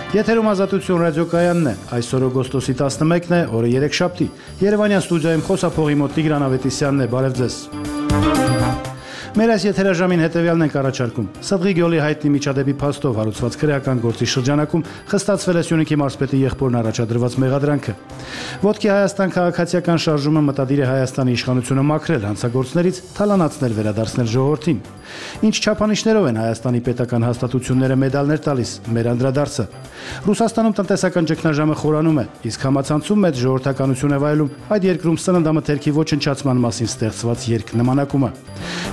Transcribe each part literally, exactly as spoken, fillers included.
Եթերում Ազատություն ռադիոկայանն է, այսօր օգոստոսի տասնմեկն է, օրը երեքշաբթի, Երևանյան ստուդիայում խոսափողի մոտ Տիգրան Ավետիսյանն է, բարև ձեզ։ Մեր այս եթերաժամին հետևյալն ենք առաջարկում. Սըդղի գյոլի հայտնի միջադեպի փաստով հարուցված քրեական գործի շրջանակում խստացվել է Սյունիքի մարզպետի եղբորն առաջադրված մեղադրանքը։ Ոտքի Հայաստան քաղաքացիական շարժումը մտադիր է Հայաստանի իշխանությունը մաքրել հանցագործներից, թալանացնել, վերադարձնել ժողովրդին։ Ինչ չափանիշներով են Հայաստանի պետական հաստատությունները մեդալներ տալիս, մեր անդրադարձը։ Ռուսաստանում տնտեսական ճգնաժամը խորանում է, իսկ համացանցում մեծ ժողովրդականություն է վայելում այդ երկրում սննդամթերքի ոչնչացման մասին ստեղծված երկնմանակումը։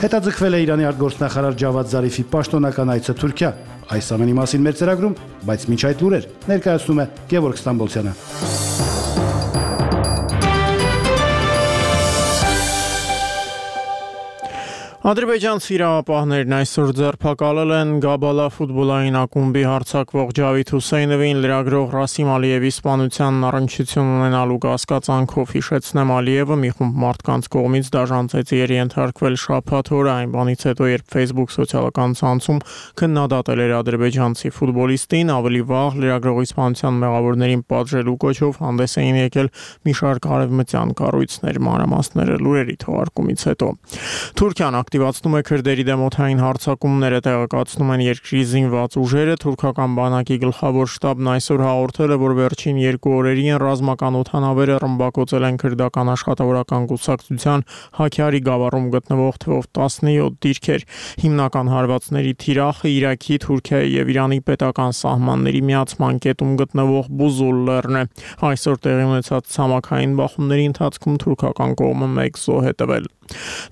Հետաձգվել է Իրանի արտգործնախարար Ջավադ Զարիֆի պաշտոնական այցը Թուրքիա։ Այս ամենի մասին մեր ծրագրում, բայց մինչ այդ լուրեր ներկայացնում է Գևորգ Ստամբոլցյանը։ Ադրբեջանցի իրավապահներն այսօր ձերբակալել են Գաբալա ֆուտբոլային ակումբի հարձակվող Ջավիդ Հուսեյնովին լրագրող Ռասիմ Ալիևի սպանությանն առնչություն ունենալու կասկածանքով, հիշեցնեմ, Ալիևը մի խումբ մարդկանց կողմից դաժան ծեծի էր ենթարկվել շաբաթ օրը, այն բանից հետո, երբ Facebook սոցիալական ցանցում քննադատել էր ադրբեջանցի ֆուտբոլիստին, ավելի վաղ լրագրողի սպանության մեղավորներին պատժելու կոչով հանդես էին եկել մի շարք արևմտյան կառույցներ, մանրամասները լուրերի թողարկումից հետո։ Թուրքիան ակտիվացնում է քրդերի դեմ օդային հարձակումները, տեղեկացնում են երկրի զինված ուժերը։ Թուրքական բանակի գլխավոր շտաբն այսօր հաղորդել է, որ վերջին երկու օրերին ռազմական օդանավերը ռմբակոծել են քրդական աշխատավորական կուսակցության Հաքյարի գավառում գտնվող թվով տասնյոթ դիրքեր։ Հիմնական հարվածների թիրախը Իրաքի, Թուրքիայի եւ Իրանի պետական սահմանների միացման կետում գտնվող Բուզուլ լեռն է։ Այսօր տեղի ունեցած ցամաքային բախումների ընթացքում թուրքական կողմը մեկ զոհ է տվել։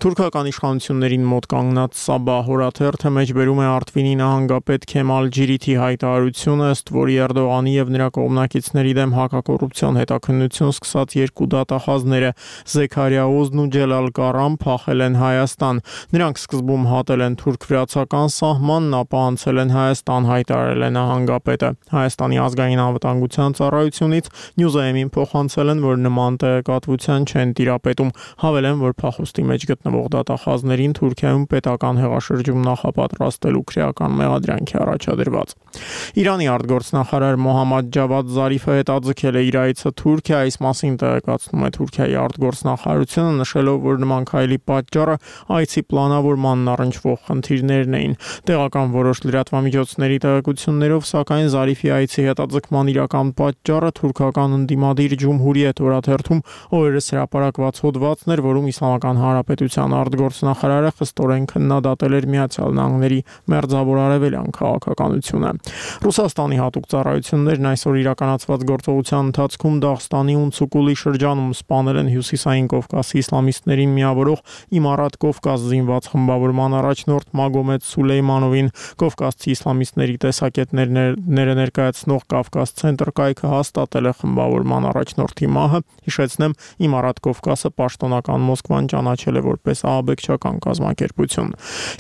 Թուրքական իշխանություններին մոտ կանգնած Սաբահ հորաթերթը մեջբերում է Արտվինի նահանգապետ Քեմալ Ջիրիթի հայտարարությունը, ըստ որի Էրդողանի եւ նրա կողմնակիցների դեմ հակակոռուպցիոն հետաքննություն սկսած երկու դատախազները Զեքարիա Օզն ու Ջելալ Կարան փախել են Հայաստան։ Նրանք սկզբում հատել են թուրք-վրացական սահմանն, ապա անցել են Հայաստան, հայտարարել է նահանգապետը։ Հայաստանի ազգային անվտանգության ծառայությունից Նյուզայեմին փոխանցել են, որ նման տեղեկատվության չեն տիրապետում, հավելեն, որ փախուստի մեջ գտնվող դատախազներին Թուրքիայում պետական հեղաշրջում նախապատրաստելու քրեական մեղադրանքի առաջադրված։ Իրանի արտգործնախարար Մոհամմադ Ջավադ Զարիֆը հետաձգել է իր այցը Թուրքիա, այս մասին տեղեկացնում է Թուրքիայի արտգործնախարարությունը, նշելով, որ նման քայլի պատճառը այցի պլանավորմանն առնչվող խնդիրներն էին։ Տեղական որոշ լրատվամիջոցների տեղեկություններով, սակայն Զարիֆի այցի հետաձգման իրական պատճառը թուրքական ընդդիմադիր Ջումհուրիետ օրաթերթում օրերս հրապարակված հոդվածն էր, որում Իսլամական Հանրապետության արտգործնախարարը խստորեն քննադատել էր Միացյալ Նահանգների մերձավոր արևելյան քաղաքականությունը։ Ռուսաստանի հատուկ ծառայություններն այսօր իրականացված գործողության ընթացքում Դաղստանի Ունցուկուլի շրջանում սպանել են Հյուսիսային Կովկասի իսլամիստներին միավորող Իմարատ Կովկաս զինված խմբավորման առաջնորդ Մագոմեդ Սուլեյմանովին։ Կովկասցի իսլամիստների տեսակետները ներկայացնող Կավկաս ցենտր կայքը հաստատել է խմբավորման առաջնորդի մահը։ Հիշեցնեմ, Իմարատ Կովկասը պաշտոնական Մոսկվան ճանաչել է որպես ահաբեկչական կազմակերպություն։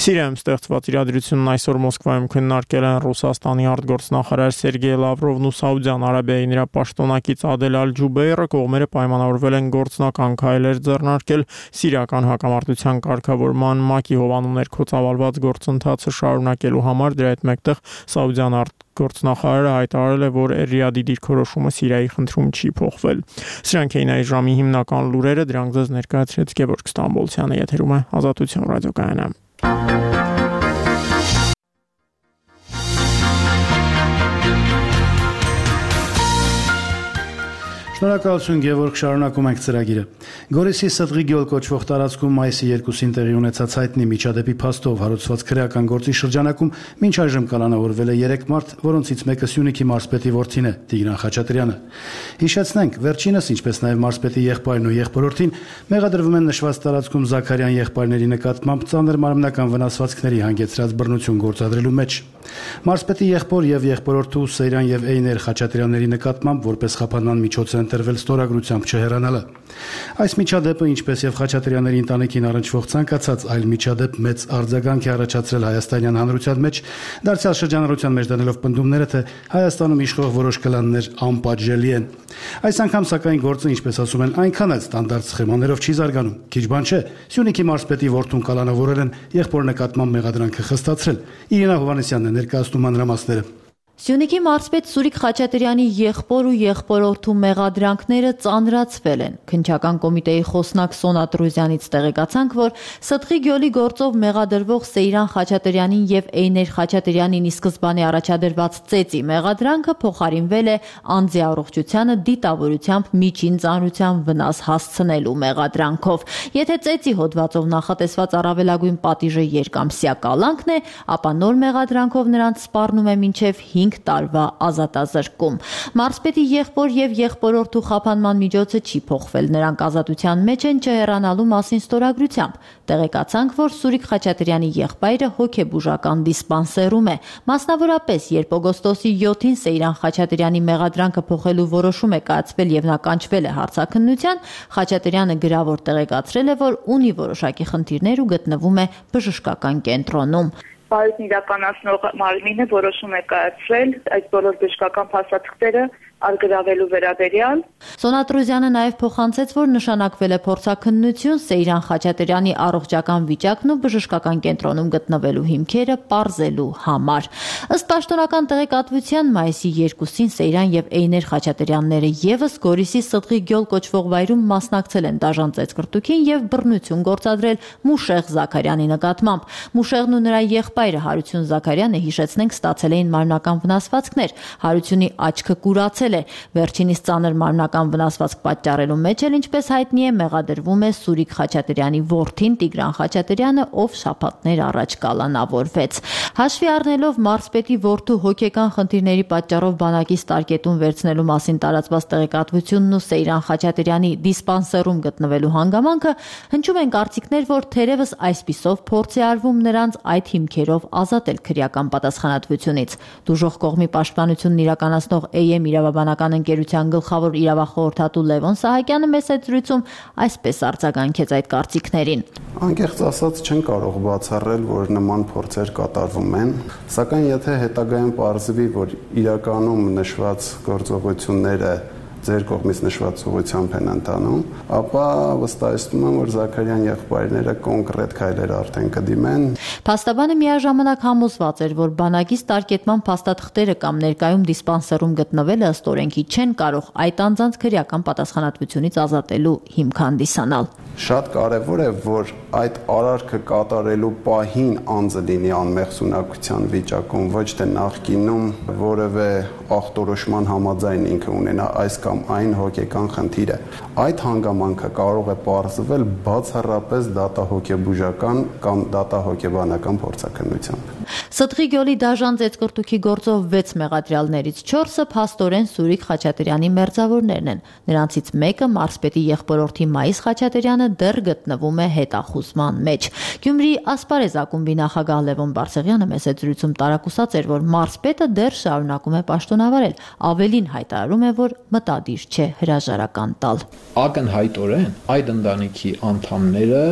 Սիրիայում ստեղծված իրադրությունն այսօր Մոսկվայում քննարկել են Ռուսաստանի արտգործնախարար Սերգեյ Լավրովն ու Սաուդյան Արաբիայի նրա պաշտոնակից Ադել Ալ-Ջուբեյրը, կողմերը պայմանավորվել են գործնական քայլեր ձեռնարկել սիրիական հակամարտության կարգավորման ՄԱԿ-ի հովանու ներքո ծավալված գործընթացը շարունակելու համար։ Դրա հետ մեկտեղ Սաուդյան արտգործնախարարը հայտարարել է, որ Ռիադի դիրքորոշումը Սիրիայի խնդրում չի փոխվել։ Սրանք էին այս ժամի հիմնական լուրերը, դրանք ձեզ ներկայացրեց Գևորգ Ստամբոլցյանը, եթերում է Ազատություն ռադիոկայանը։ Շնորհակալություն Գևորգ, շարունակում ենք ծրագիրը։ Գորիսի Սըդղի գյուլ կոչվող տարածքում մայիսի երկուսին տեղի ունեցած հայտնի միջադեպի փաստով հարուցված քրեական գործի շրջանակում մինչ այժմ կալանավորվել է երեք մարդ, որոնցից մեկը Սյունիքի մարզպետի որդին է, Տիգրան Խաչատրյանը։ Հիշեցնենք, վերջինս, ինչպես նաև մարզպետի եղբայրն ու եղբորորդին մեղադրվում են նշված տարածքում Զաքարյան եղբայրների նկատմամբ ծանր մարմնական վնասվածքների հանգեցրած բռնություն գործադրելու մեջ։ Մարզպետի եղբոր եւ եղբորորդու Սեյրան եւ Էյներ Խաչատրյանների նկատմամբ որպես խափանման միջոց է ընտրվել ստորագրությամբ չհեռանալը։ Այս միջադեպը, ինչպես եւ Խաչատրյանների ընտանիքին առնչվող ցանկացած այլ միջադեպ, մեծ արձագանք է առաջացրել հայաստանյան հանրության մեջ, դարձյալ շրջանառության մեջ դնելով պնդումները, թե Հայաստանում իշխող որոշ կլաններ անպատժելի են։ Այս անգամ, սակայն, գործը, ինչպես ասում են, այնքան էլ ստանդարտ սխեմաներով չի զարգանում։ Քիչ բան չէ, Սյունիքի մարզպետի որդուն կալանավորել են, եղբոր նկատմամբ մեղադրանքը խստացրել։ Իրինա Հովհաննիսյանն է ներկայացնում մանրամասները։ Սյունիքի մարզպետ Սուրիկ Խաչատրյանի եղբոր ու եղբորորդու մեղադրանքները ծանրացվել են։ Քննչական կոմիտեի խոսնակ Սոնա Տրուզյանից տեղեկացանք, որ Սդղի գյուղի գործով մեղադրվող Սեյրան Խաչատրյանին եւ Էյներ Խաչատրյանին ի սկզբանե առաջադրված ծեծի մեղադրանքը փոխարինվել է անձի առողջությանը դիտավորությամբ միջին ծանրության վնաս հասցնելու մեղադրանքով։ Եթե ծեծի հոդվածով նախատեսված առավելագույն պատիժը երկամսյա կալանքն է, ապա նոր մեղադրանքով նրանց սպառնում է մինչև հինգ տարվա ազատազրկում։ Մարզպետի եղբոր եւ եղբորորդու խափանման միջոցը չի փոխվել, նրանք ազատության մեջ են չհեռանալու մասին ստորագրությամբ։ Տեղեկացանք, որ Սուրիկ Խաչատրյանի եղբայրը հոգեբուժական դիսպանսերում է։ Մասնավորապես, երբ օգոստոսի յոթին Սեյրան Խաչատրյանի մեղադրանքը փոխելու որոշում է կայացվել եւ նա կանչվել է հարցաքննության, Խաչատրյանը գրավոր տեղեկացրել է, որ ունի որոշակի խնդիրներ ու գտնվում է բժշկական կենտրոնում։ Պարույցն իրականացնող մարմինը որոշում է կայացրել այս բոլոր բժշկական փաստաթղթերը արգրավելու վերաբերյալ։ Սոնա Տրուզյանը նաև փոխանցեց, որ նշանակվել է փորձաքննություն Սեյրան Խաչատրյանի առողջական վիճակն ու բժշկական կենտրոնում գտնվելու հիմքերը պարզելու համար։ Ըստ պաշտոնական տեղեկատվության, մայիսի երկուսին Սեյրան եւ Էյներ Խաչատրյանները եւս Գորիսի Սդղի գյուղ կոչվող վայրում մասնակցել են դաժան ծեծկրտուքին եւ բռնություն գործադրել Մուշեղ Զաքարյանի նկատմամբ։ Մուշեղն ու նրա եղբայրը Հարություն Զաքարյանը, հիշեցնենք, ստացել էին մարմնական վնասվածքներ։ Հարությունի աչքը կուրացել է։ Վերջինիս ծանր մարմնական վնասվածք պատճառելու մեջ էլ, ինչպես հայտնի է, մեղադրվում է Սուրիկ Խաչատրյանի որդին Տիգրան Խաչատրյանը, ով շաբաթներ առաջ կալանավորվեց։ Հաշվի առնելով մարզպետի որդու հոգեկան խնդիրների պատճառով բանակից տարկետուն վերցնելու մասին տարածված տեղեկատվությունն ու Սեյրան Խաչատրյանի դիսպանսերում գտնվելու հանգամանքը, հնչում են կարծիքներ, որ թերևս այսպիսով փորձ է արվում նրանց այդ հիմքերով ազատել քրեական պատասխանատվությունից։ Դուժող կողմի պաշտպանությունն իրականացնող Է Էմ իրավաբանական ընկերության գլխավոր իրավախորհրդատու Լևոն Սահակյանը մեծ զրույցում այսպես արձագանքեց այդ կարծիքներին։ Անկեղծ ասած, չեն կարող բացառել, որ նման փորձեր կատարվում են, սակայն եթե հետագայում պարզվի, որ իրականում նշված գործողությունները ձեր կողմից նշված ուղղությամբ են ընթանում, ապա վստահեցնում եմ, որ Զաքարյան եղբայրները կոնկրետ քայլեր արդեն կդիմեն։ Փաստաբանը միաժամանակ համոզված էր, որ բանակից տարկետման փաստաթղթերը կամ ներկայում դիսպանսերում գտնվելը ըստ օրենքի չեն կարող այդ անձանց քրեական պատասխանատվությունից ազատելու հիմք հանդիսանալ։ Շատ կարևոր է, որ այդ արարքը կատարելու պահին անձը լինի անմեղսունակության վիճակում, ոչ թե նախկինում որևէ ախտորոշման համաձայն ինքը ունենա այս կամ այն հոգեկան խնդիրը։ Այդ հանգամանքը կարող է պարզվել բացառապես դատահոգեբուժական կամ դատահոգեբանական փորձաքննությամբ։ Սդղի գյուղի դաժան ծեծկրտուքի գործով վեց մեղադրյալներից չորսը փաստորեն Սուրիկ Խաչատրյանի մերձավորներն են։ Նրանցից մեկը մարզպետի եղբորորդի Մայիս Խաչատրյանը դեռ գտնվում է հետախուզման մեջ։ Գյումրիի Ասպարեզ ակումբի նախագահ Լևոն Բարսեղյանը մեծ զրույցում տարակուսած էր, որ մարզպետը դեռ շարունակում է պաշտոնավարել, ավելին հայտարարում է, որ մտադիր չէ հրաժարական տալ։ Ակնհայտորեն այդ ընտանիքի անդամները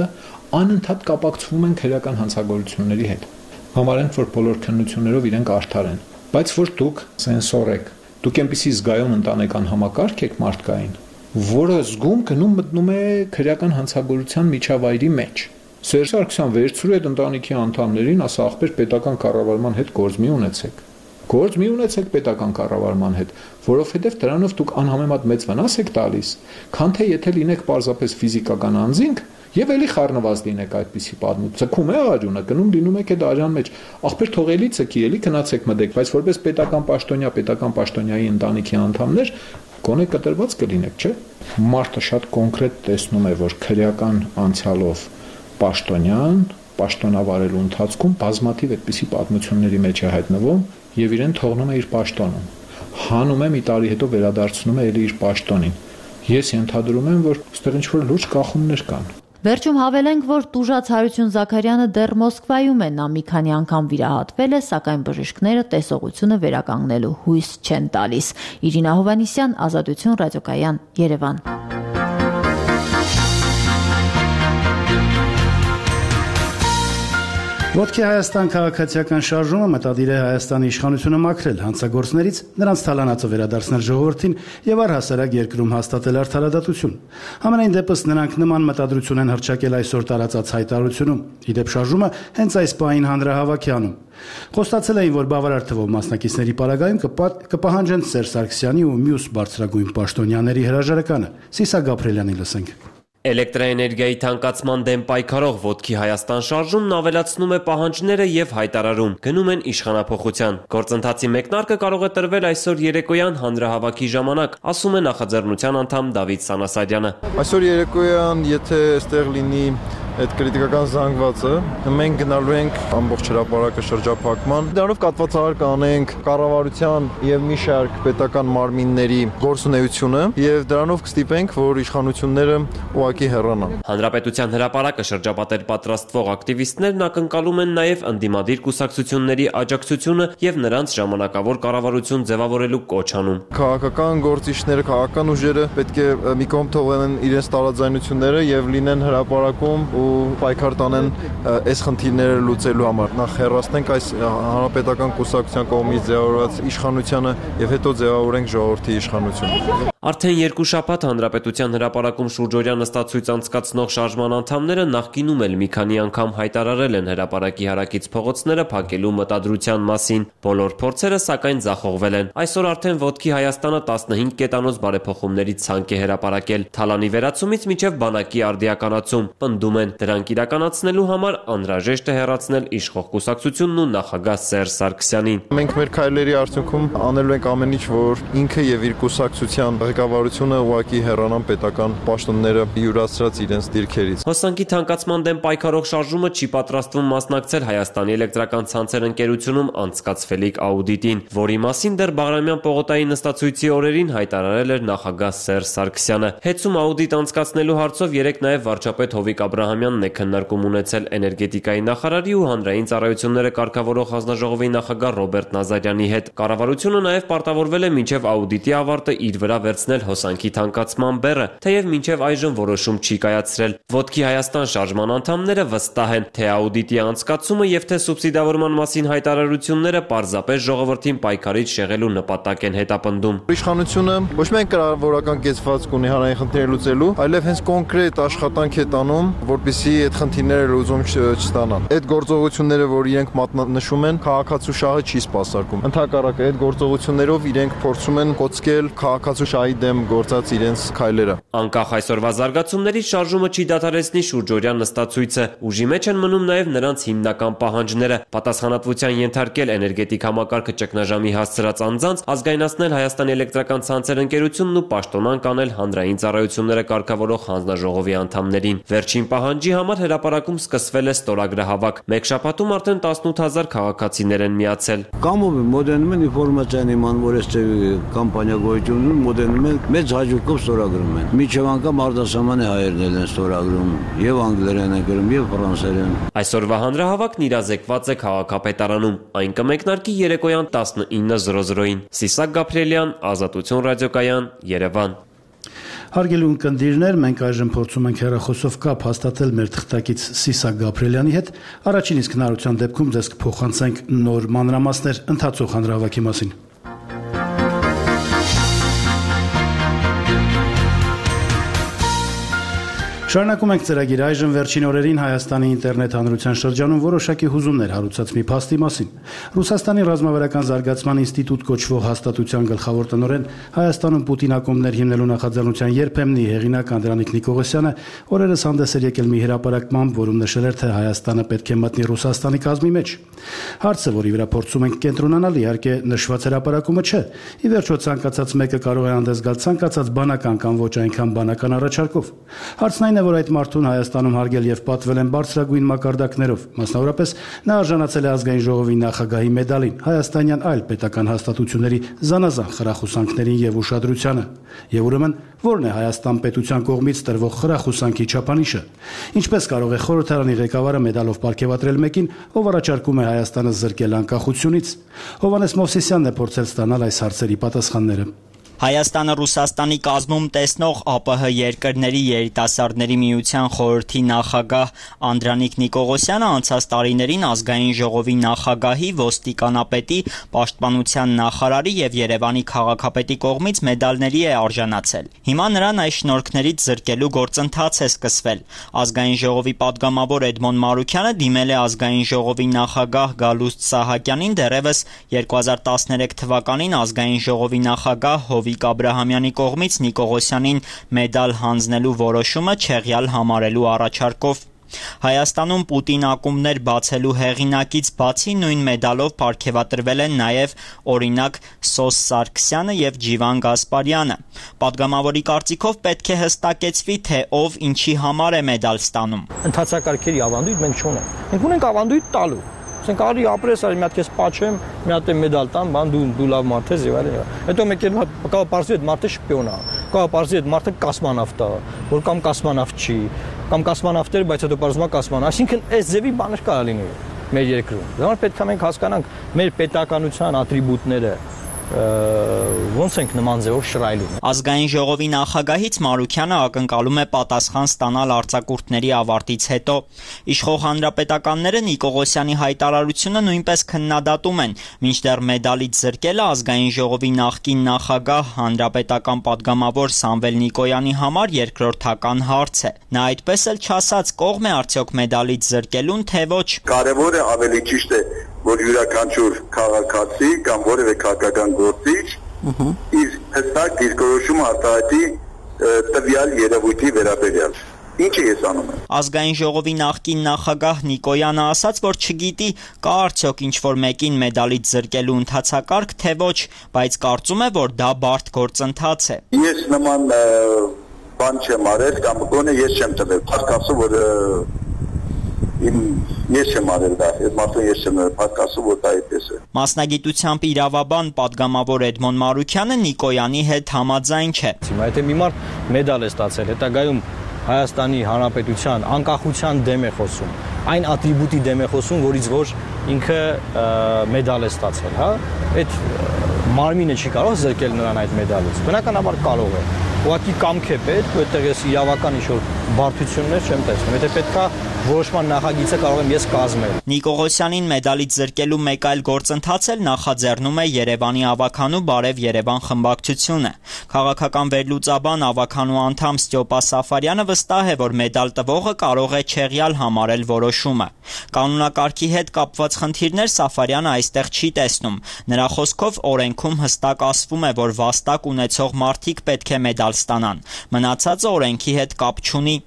անընդհատ կապակցվում են քրեական հանցագործությունների հետ։ Համարեն, որ բոլոր քննություններով իրենք արդար են, բայց որ դուք սենսոր եք, դուք այնպիսի զգայուն ընտանեկան համակարգ եք մարդկային, որը զգում գնում մտնում է քրեական հանցագործության միջավայրի մեջ։ Սերժ Սարգսյան վերցրու այդ ընտանիքի անդամներին, ասա ախպեր պետական կառավարման հետ գործ մի ունեցեք։ Գործ մի ունեցեք պետական կառավարման հետ, որովհետև դրանով դուք անհամեմատ մեծ վնաս եք տալիս, քան թե եթե լինեք պարզապես ֆիզիկական անձինք եւ էլի խառնված լինեք այդպիսի պատմություն։ Ցկում է արյունը, գնում լինում եք այդ արյան մեջ։ Ախպեր թողելի ցկի, էլի գնացեք մտեք, բայց որպես պետական պաշտոնյա, պետական պաշտոնյայի ընտանիքի անդամներ գոնե կտրված կլինեք, չէ՞։ Մարդը շատ կոնկրետ տեսնում է, որ քրեական անցյալով պաշտոնյան պաշտոնավարելու ընթացքում բազմաթիվ այդպիսի պատմությունների մեջ է հայտնվում եւ իրեն թողնում է իր պաշտոնում։ Հանում է մի տարի հետո վերադարձնում է էլի իր պաշտոնին։ Ես ենթադրում եմ, որ այստեղ ինչ-որ լուրջ կախումներ կան։ Վերջում հավելենք, որ տուժած Հարություն Զաքարյանը դեռ Մոսկվայում է, նա մի քանի անգամ վիրահատվել է, սակայն բժիշկները տեսողությունը վերականգնելու հույս չեն տալիս։ Իրինա Հովանիսյան, Ազատություն, ռադիոկայան, Երևան։ Ոտքի Հայաստան քաղաքացիական շարժումը մտադիր է Հայաստանի իշխանությունը մաքրել հանցագործներից, նրանց թալանածը վերադարձնել ժողովրդին եւ առհասարակ երկրում հաստատել արդարադատություն։ Համենայն դեպս նրանք նման մտադրություն են հռչակել այսօր տարածած հայտարարությունում։ Իդեպ շարժումը հենց այս պահին հանրահավաք է անում։ Խոստացել էին, որ բավարար թվով մասնակիցների պարագայում կպահանջեն Սերժ Սարգսյանի ու մյուս բարձրագույն պաշտոնյաների հրաժարականը։ Սիսա Գաբրելյանի լսենք։ Էլեկտրաէներգիայի թանկացման դեմ պայքարող Ոտքի Հայաստան շարժումն ավելացնում է պահանջները եւ հայտարարում, գնում են իշխանափոխության։ Գործընթացի մեկնարկը կարող է տրվել այսօր երեկոյան հանրահավաքի ժամանակ, ասում է նախաձեռնության անդամ Դավիթ Սանասարյանը։ Այսօր երեկոյան, եթե այստեղ լինի այդ քրիտիկական զանգվածը, մենք գնալու ենք ամբողջ հրապարակը շրջափակման։ Դրանով կատվածահար կանենք կառավարության եւ մի շարք պետական մարմինների գործունեությունը եւ դրանով կստիպենք, որ իշխանությունները ուղղակի հեռանան։ Հանրապետության հրապարակը շրջապատել պատրաստվող ակտիվիստներն ակնկալում են նաեւ ընդդիմադիր կուսակցությունների աջակցությունը եւ նրանց ժամանակավոր կառավարություն ձևավորելու կոչ անում։ Քաղաքական գործիչները, քաղաքական ուժերը պետք է մի կողմ թողեն իրենց տարաձայնությունները եւ լինեն հրապարակում ու պայքար տանեն այս խնդիրները լուծելու համար։ Նախ հեռացնենք այս հանրապետական կուսակցության կողմից ձևավորված իշխանությանը եւ հետո ձևավորենք ժողովրդի իշխանությունը։ Արդեն երկու շաբաթ հանրապետության հրապարակում շուրջօրյա նստածույց անցկացնող շարժման անդամները նախկինում էլ մի քանի անգամ հայտարարել են հրապարակի հարակից փողոցները փակելու մտադրության մասին։ Բոլոր փորձերը սակայն ձախողվել են։ Այսօր արդեն Ոտքի Հայաստանը տասնհինգ կետանոց բարեփոխումների ցանկ է հրապարակել։ Թալանի վերացումից մինչև բանակի արդիականացում։ Պնդում են, դրանք իրականացնելու համար անհրաժեշտ է հեռացնել իշխող կուսակցությունն ու նախագահ Սերժ Սարգսյանին։ Մենք մեր քայլերի արդյունքում անելու ենք ամեն ինչ, որ ինքը եւ իր կուսակցության ղեկավարությունը ուղղակի հեռանան պետական պաշտոնները յուրացրած իրենց դիրքերից։ Հոսանքի թանկացման դեմ պայքարող շարժումը չի պատրաստվում մասնակցել Հայաստանի էլեկտրական ցանցեր ընկերությունում անցկացվելիք աուդիտին, որի մասին դեռ Բաղրամյան պողոտայի նստածույցի օրերին հայտարարել էր նախագահ Սերժ Սարգսյանը։ Հետում աուդիտ անցկացնելու հարցով երեկ նաև վարչապետ Հովիկ Աբրահամյանն է քննարկում ունեցել էներգետիկայի նախարարի ու հանրային ծառայությունները կարգավորող հանձնաժողովի նախագահ Ռոբերտ Նազարյանի հետ։ Կառավարությունը նաև պարտավորվել է մինչև աուդիտի ավարտը իր վրա վերցնել հոսանքի թանկացման բեռը, թեև մինչև այժմ որոշում չի կայացրել։ Ոտքի Հայաստան շարժման անդամները վստահ են, թե աուդիտի անցկացումը եւ թե սուբսիդավորման մասին հայտարարությունները պարզապես ժողովրդին պայքարից շեղելու նպատակ են հետապնդում։ Իշխանությունը ոչ միայն կառավարական կեցվածք ունի հանրային խնդիրները լուծելու, այլև հենց կոնկրետ աշխատանք է տանում, որպեսզի այդ խնդիրները լուծում չստանան։ Այդ գործողությունները, որ իրենք մատնանշում են, քաղաքացու շահը չի սպասարկում։ Ընդհակառակը այդ գործողություններով իրենք փորձում են կոծկել քաղաքացու շահի դեմ գործած իրենց քայլերը։ Անկախ այսօրվա զարգացումներից շարժումը չի դադարեցնի շուրջօրյա նստածույցը։ Ուժի մեջ են մնում նաև նրանց հիմնական պահանջները՝ պատասխանատվության ենթարկել էներգետիկ համակարգը ճգնաժամի հասցրած անձանց, ազգայնացնել Հայաստանի էլեկտրական ցանցեր ընկերությունն ու պաշտոնանկ անել հանրային ծառայությունները կարգավորող հանձնաժողովի անդամներին։ Վերջին պահանջի համար հրապարակում սկսվել է ստորագրահավաք։ Մեկ շաբաթում արդեն տասնութ հազար քաղաքացիներ են միացել։ Կամով մոդերնում են ինֆորմացիան իման, որ այս կամպանիա գոյություն ունի, մոդերնում են, մեծ հաջողությամբ ստորագրում են։ Միջև անգամ արտասահմանի հայերն են ստորագրում, եւ անգլերեն են գրում, եւ ֆրանսերեն։ Այսօրվա հանրահավաքն իրազեկված է քաղաքապետարանում։ Այն կմեկնարկի երեկոյան տասնինը զրո զրոին։ Սիսակ Գաբրելյան, Ազատություն ռադիոկայան, Երևան։ Հարգելի ունկնդիրներ, մենք այժմ փորձում ենք հեռախոսով կապ հաստատել մեր թղթակից Սիսակ Գաբրելյանի հետ։ Առաջին իսկ հնարավորության դեպքում ձեզ կփոխանցենք նոր մանրամասներ ընթացող հանրահավաքի մասին։ Շարունակում ենք ծրագիրը այժմ վերջին օրերին Հայաստանի ինտերնետ հանրության շրջանում որոշակի հուզումներ հարուցած մի փաստի մասին։ Ռուսաստանի ռազմավարական զարգացման ինստիտուտ կոչվող հաստատության գլխավոր տնօրեն Հայաստանում Պուտին ակումբներ հիմնելու նախաձեռնության երբեմնի հեղինակ Անդրանիկ Նիկողոսյանը օրերս հանդես էր եկել մի հրապարակմամբ, որում նշել էր, թե Հայաստանը պետք է մտնի Ռուսաստանի կազմի մեջ։ Հարցը, որի վրա փորձում ենք կենտրոնանալ, իհարկե նշված հրապարակումը չէ։ Ի վերջո ցանկացած մեկը կարող է հանդես գալ ցանկացած բանական կամ ոչ այնքան բանական առաջարկով։ Հարցն այն որ այդ մարդուն Հայաստանում հարգել եւ պատվել են բարձրագույն մակարդակներով, մասնավորապես նա արժանացել է ազգային ժողովի նախագահի մեդալին, հայաստանյան այլ պետական հաստատությունների զանազան խրախուսանքներին եւ ուշադրությանը։ Եվ ուրեմն ո՞րն է Հայաստան պետության կողմից տրվող խրախուսանքի չափանիշը։ Ինչպես կարող է խորհրդարանի ղեկավարը մեդալով պարգևատրել մեկին, ով առաջարկում է Հայաստանը զրկել անկախությունից։ Հովհաննես Մովսիսյանն է փորձել ստանալ այս հարցերի պատասխանները։ Հայաստանը Ռուսաստանի կազմում տեսնող ԱՊՀ երկրների երիտասարդների միության խորհրդի նախագահ Անդրանիկ Նիկողոսյանը անցած տարիներին ազգային ժողովի նախագահի, ոստիկանապետի, պաշտպանության նախարարի եւ Երևանի քաղաքապետի կողմից մեդալների է արժանացել։ Հիմա նրան այս շնորհքներից զրկելու գործընթաց է սկսվել։ Ազգային ժողովի падգամավոր Էդմոն Մարուքյանը դիմել է ազգային ժողովի նախագահ Գալուստ Սահակյանին դեռևս երկու հազար տասներեք թվականին ազգային ժողովի նախագահ Հովիկ Աբրահամյանի կողմից Նիկողոսյանին մեդալ հանձնելու որոշումը չեղյալ համարելու առաջարկով։ Հայաստանում Պուտին ակումբներ բացելու հեղինակից բացի նույն մեդալով պարգևատրվել են նաև օրինակ Սոս Սարգսյանը եւ Ջիվան Գասպարյանը։ Պատգամավորի կարծիքով պետք է հստակեցվի, թե ով ինչի համար է մեդալ ստանում։ Ընթացակարգերի ավանդույթ մենք չունենք։ Մենք ունենք ավանդույթ տալու։ Ասենք արի ապրես, արի մի հատ քեզ պաչեմ, մի հատ մեդալ տամ, բան դու դու լավ մարդ ես եւ այլն։ Հետո մեկ էլ կա պարզի այդ մարդը շպիոն է։ Կա պարզի այդ մարդը կոսմոնավտ է, որ կամ կոսմոնավտ չի, կամ կոսմոնավտ էր, բայց հետո պարզվում է կոսմոն։ Այսինքն այս ձևի բաներ կարա լինի մեր երկրում։ Դա պետք է մենք հասկանանք մեր պետականության ատրիբուտները ոնց ենք նման ձևով շռայլում։ Ազգային ժողովի նախագահից Մարուքյանը ակնկալում է պատասխան ստանալ արձակուրդների ավարտից հետո։ Իշխող հանրապետականները Նիկողոսյանի հայտարարությունը նույնպես քննադատում են, մինչդեռ մեդալից զրկելը ազգային ժողովի նախկին նախագահ հանրապետական падգամավոր Սամվել Նիկոյանի համար երկրորդական հարց է։ Նա այդպես էլ չասաց կողմ է արդյոք մեդալից զրկելուն, թե ոչ։ Կարևոր է, ավելի ճիշտ է, որ յուրաքանչյուր քաղաքացի կամ որևէ քաղաքական գործիչ իր հստակ դիրքորոշումը արտահայտի տվյալ երևույթի վերաբերյալ։ Ինչը ես անում եմ։ Ազգային ժողովի նախկին նախագահ Նիկոյանը ասաց, որ չգիտի կա արդյոք ինչ-որ մեկին մեդալից զրկելու ընթացակարգ, թե ոչ, բայց կարծում է, որ դա բարդ գործընթաց է։ Ես նման բան չեմ արել կամ գոնե ես չեմ տվել։ Փաստացու որ ես չեմ արել դա, այդ մարդուն ես չեմ պատկասում, որ դա այդպես է։ Մասնագիտությամբ իրավաբան падգամավոր Էդմոն Մարուքյանը Նիկոյանի հետ համաձայն չէ։ Եթե մի մարդ մեդալ է ստացել, հետագայում Հայաստանի Հանրապետության անկախության դեմ է խոսում, այն ատրիբուտի դեմ է խոսում, որից որ ինքը մեդալ է ստացել, հա, այդ մարմինը չի կարող զրկել նրան այդ մեդալից։ Բնականաբար կարող է։ Ուղղակի կամք է պետք, որտեղ ես իրավական ինչ-որ բարդություններ չեմ տեսնում։ Եթե պետքա որոշման նախագիծը կարող եմ ես կազմել։ Նիկողոսյանին մեդալից զրկելու մեկ այլ գործընթաց էլ նախաձեռնում է Երևանի ավականու Բարև Երևան խմբակցությունը։ Քաղաքական վերլուծաբան ավականու անդամ Ստյոպա Սաֆարյանը վստահ է, որ մեդալ տվողը կարող է չեղյալ համարել որոշումը։ Կանոնակարգի հետ կապված խնդիրներ Սաֆարյանը այստեղ չի տեսնում։ Նրա խոսքով օրենքում հստակ ասվում է, որ վաստակ ունեցող մարդիկ պետք է մեդալ ստանան։ Մնացածը օրենքի հետ կապ չունի։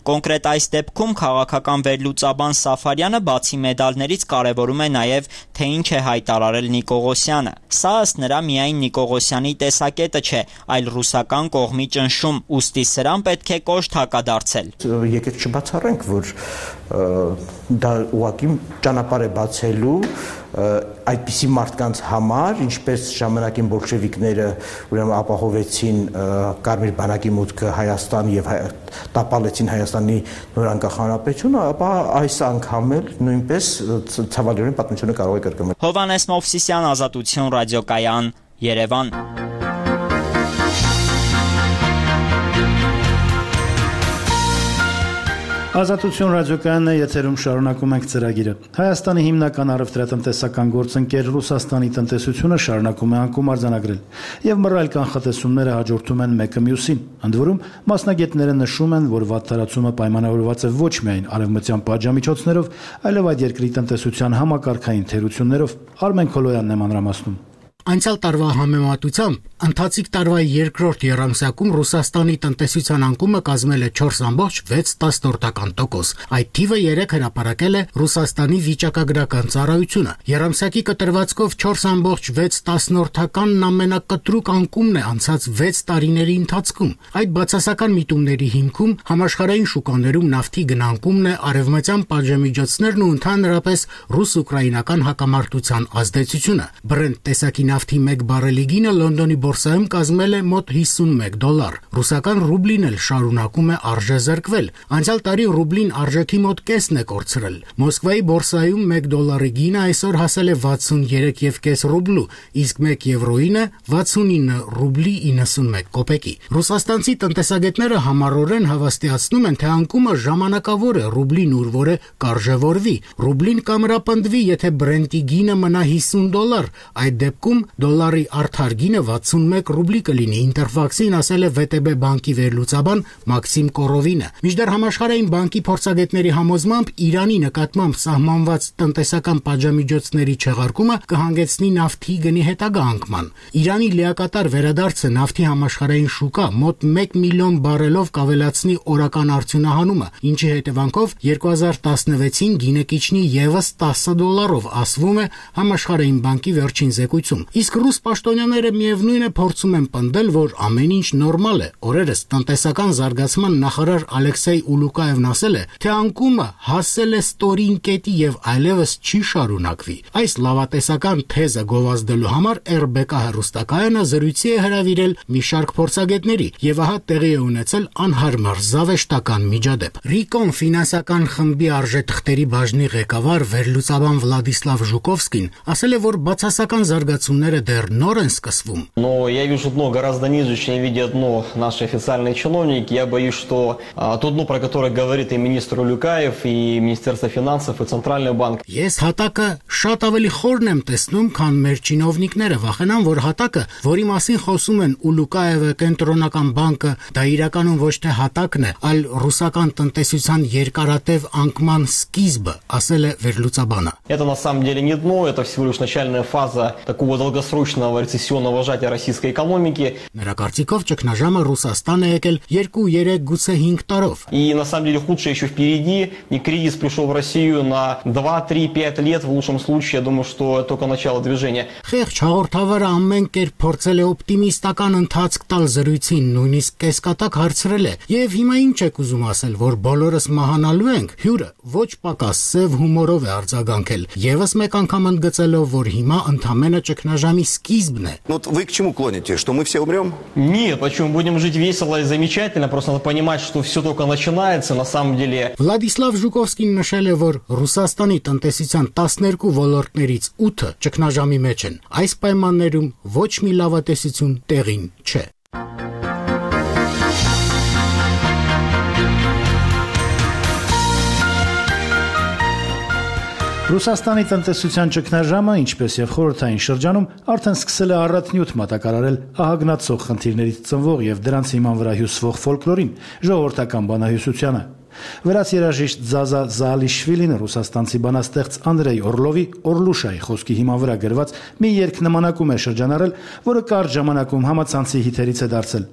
Կոնկրետ այս դեպքում քաղաքական վերլուծաբան Սաֆարյանը բացի մեդալներից կարևորում է նաև, թե ինչ է հայտարարել Նիկողոսյանը։ Սա ըստ նրա միայն Նիկողոսյանի տեսակետը չէ, այլ ռուսական կողմի ճնշում, ուստի սրան պետք է կոշտ հակադարձել։ Եկեք չբացառենք, որ դա ուղղակի ճանապարհ է բացելու այդպիսի մարդկանց համար, ինչպես ժամանակին բոլշևիկները ուրեմն ապահովեցին Կարմիր բանակի մուտքը Հայաստան եւ տապալեցին Հայաստանի նորանկախ հանրապետությունը, ապա այս անգամ էլ նույնպես ցավալիորեն պատմությունը կարող է կրկնել։ Հովհաննես Մովսիսյան, Ազատություն ռադիոկայան, Երևան։ Ազատություն ռադիոկայանն է, եթերում շարունակում ենք ծրագիրը։ Հայաստանի հիմնական առևտրատնտեսական գործընկեր Ռուսաստանի տնտեսությունը շարունակում է անկում արձանագրել, եւ մռայլ կանխատեսումները հաջորդում են մեկը մյուսին։ Ընդ որում, մասնագետները նշում են, որ վատթարացումը պայմանավորված է ոչ միայն արևմտյան պատժամիջոցներով, այլև այդ երկրի տնտեսության համակարգային թերություններով։ Արմեն Քոլոյանն է մանրամասնում։ Անցյալ տարվա համեմատությամբ ընթացիկ տարվա երկրորդ եռամսյակում Ռուսաստանի տնտեսության անկումը կազմել է չորս ամբողջ վեց տոկոս։ Այդ թիվը երեք հրապարակել է Ռուսաստանի վիճակագրական ծառայությունը։ Եռամսյակի կտրվածքով չորս ամբողջ վեց տասնորդականն ամենակտրուկ անկումն է անցած վեց տարիների ընթացքում։ Այդ բացասական միտումների հիմքում համաշխարհային շուկաներում նավթի գնանկումն է, արևմտյան պատժամիջոցներն ու ընդհանրապես ռուս-ուկրաինական հակամարտության ազդեցությունը։ Բրենտ տեսակի նավթի մեկ բարելի գինը Լոնդոնի բորսայում կազմել է մոտ հիսունմեկ դոլար։ Ռուսական ռուբլին էլ շարունակում է արժեզրկվել։ Անցյալ տարի ռուբլին արժեքի մոտ կեսն է կորցրել։ Մոսկվայի բորսայում մեկ դոլարի գինը այսօր հասել է վաթսուներեք կόμμα պենս ռուբլու, իսկ մեկ եվրոյինը վաթսունինը ռուբլի իննսունմեկ կոպեկի։ Ռուսաստանցի տնտեսագետները համառորեն հավաստիացնում են, թե անկումը ժամանակավոր է ռուբլին ուր որը կարժևորվի։ Ռուբլին կամրապնդվի, եթե Brent-ի գինը մնա հիսուն դոլար, այդ դեպքում դոլարի արդար գինը վաթսունմեկ ռուբլի կլինի, Interfax-ին ասել է վե տե բե բանկի վերլուծաբան Մաքսիմ Կորովինը։ Մինչդեռ Համաշխարհային բանկի փորձագետների համոզմամբ Իրանի նկատմամբ սահմանված տնտեսական պատժամիջոցների չեղարկումը կհանգեցնի նավթի գնի հետագա անկման։ Իրանի լիակատար վերադարձը նավթի համաշխարհային շուկա մոտ մեկ միլիոն բարելով կավելացնի օրական արդյունահանումը, ինչի հետևանքով երկու հազար տասնվեցին գինը կիջնի ևս տասը դոլարով, ասվում է Համաշխարհային բանկի վերջին զեկույցում։ Իսկ ռուս պաշտոնյաները միևնույն է փորձում են պնդել, որ ամեն ինչ նորմալ է։ Օրերս տնտեսական զարգացման նախարար Ալեքսեյ Ուլուկաևն ասել է, թե անկումը հասել է ստորին կետի եւ այլևս չի շարունակվի։ Այս լավատեսական թեզը գովազդելու համար եր բե կա հեռուստակայանը զրույցի է հրավիրել մի շարք փորձագետների եւ ահա տեղի է ունեցել անհարմար զավեշտական միջադեպ։ Ռիկոն ֆինանսական խմբի արժեթղթերի բաժնի ղեկավար վերլուծաբան Վլադիսլավ Ժուկովսկին ասել է, որ բացասական զարգացումները դեռ նոր են սկսվում։ Но я вижу дно гораздо ниже, чем видят дно наши официальные чиновники. Я боюсь, что а, то дно, про которое говорит и министр Улюкаев, и Министерство финансов, и Центральный банк. Ես հատակը շատ ավելի խորն եմ տեսնում, քան մեր чиновникները, վախենամ, որ հատակը, որի մասին խոսում են Ուլուկաևը, Կենտրոնական բանկը, դա իրականում ոչ թե հատակն է, այլ ռուսական տնտեսության երկարատև անկման սկիզբը, ասել է վերլուծաբանը։ Это на самом деле не дно, это всего лишь начальная фаза такого долгосрочного рецессионного сжатия российской экономики. Նրա կարծիքով ճգնաժամը Ռուսաստան է եկել երկու, երեք, գուցե հինգ տարով։ И на самом деле худшее еще впереди. И кризис пришел в Россию на два, три, пять лет в лучшем случае. Я думаю, что это только начало движения. Խեղճ հաղորդավարը ամեն կերպ փորձել է օպտիմիստական ընթացք տալ զրույցին, նույնիսկ կեսկատակ հարցրել է։ Եվ հիմա ինչ եք ուզում ասել, որ բոլորս մահանալու ենք։ Հյուրը ոչ պակաս սև հումորով է արձագանքել, եւս մեկ անգամ ընդգծելով, որ հիմա ընդամենը ճգնաժամի սկիզբն է։ Ну вы к чему клоните, что мы все умрем? Нет, почему будем жить весело и замечательно, просто надо понимать, что все только начинается на самом деле. Վլադիսլավ Ժուկովսկին նշել է, որ Ռուսաստանի տնտեսության տասներկու ոլորտներից ութը ճգնաժամի մեջ են։ Այս պայմաններում ոչ մի լավատեսություն տեղին չէ։ Ռուսաստանի տնտեսության ճգնաժամը, ինչպես եւ խորհրդային շրջանում, արդեն սկսել է առատնյութ մատակարարել ահագնացող խնդիրներից ծնվող եւ դրանց հիման վրա հյուսվող ֆոլկլորին, ժողովրդական բանահյուսությանը։ Վրաց երաժիշտ Զազա Զալիշվիլին ռուսաստանցի բանաստեղծ Անդրեյ Օրլովի Օրլուշայի խոսքի հիման վրա գրված մի երգ նմանակում է շրջանառել, որը կարճ ժամանակում համացանցի հիթերից է դարձել։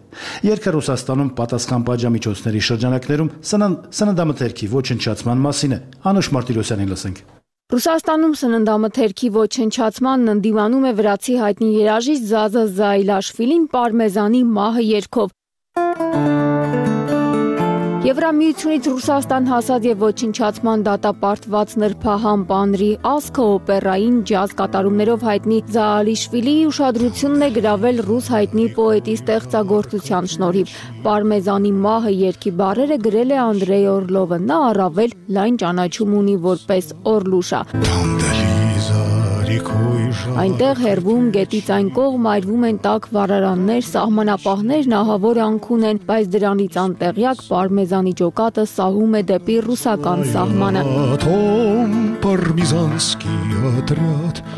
Երգը Ռուսաստանում պատասխան պատժամիջոցների շրջանակներում սննդամթերքի ոչնչացման մասին է։ Անուշ Մարտիրոսյանին լսենք։ Ռուսաստանում սննդամթերքի ոչնչացմանն ընդդիմանում է վրացի հայտնի երաժիշտ Զազա Զայլաշվիլին պարմեզանի մահը երգով։ Եվրամիությունից Ռուսաստան հասած եւ ոչնչացման դատապարտված նրբահամ պանրի ասքը օպերային ջազ կատարումներով հայտնի Զալիշվիլիի ուշադրությունն է գրավել ռուս հայտնի պոետի ստեղծագործության շնորհիվ։ Պարմեզանի մահը երգի բառերը գրել է Անդրեյ Օրլովը, նա առավել լայն ճանաչում ունի որպես Օրլուշա։ Այնտեղ հերվում գետից այն կողմ այրվում են տաք վառարաններ, սահմանապահներն ահավոր անքուն են, բայց դրանից անտեղյակ պարմեզանի ջոկատը սահում է դեպի ռուսական սահմանը։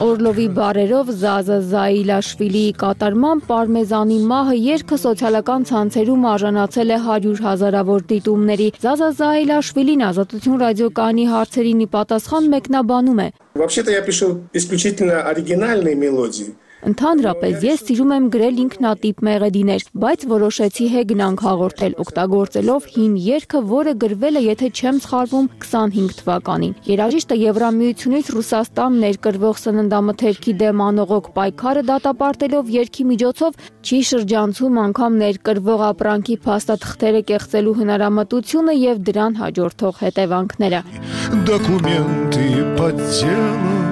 Օրլովի բառերով Զազա Զայլաշվիլիի կատարման պարմեզանի մահը երգը սոցիալական ցանցերում արժանացել է հարյուր հազարավոր դիտումների։ Զազա Զայլաշվիլին Ազատություն ռադիոկայանի հարցերին ի պատասխան մեկնաբանում է։ Вообще-то я пишу исключительно оригинальные мелодии. Ընդհանրապես ես սիրում եմ գրել ինքնատիպ մեղեդիներ, բայց որոշեցի հեգնանք հաղորդել օգտագործելով հին երգը, որը գրվել է, եթե չեմ սխալվում, քսանհինգ թվականին։ Երաժիշտը Եվրամիությունից Ռուսաստան ներկրվող սննդամթերքի դեմ անողոք պայքարը դատապարտելով երգի միջոցով չի շրջանցում անգամ ներկրվող ապրանքի փաստաթղթերը կեղծելու հնարամտությունը եւ դրան հաջորդող հետևանքները։ Документы подделав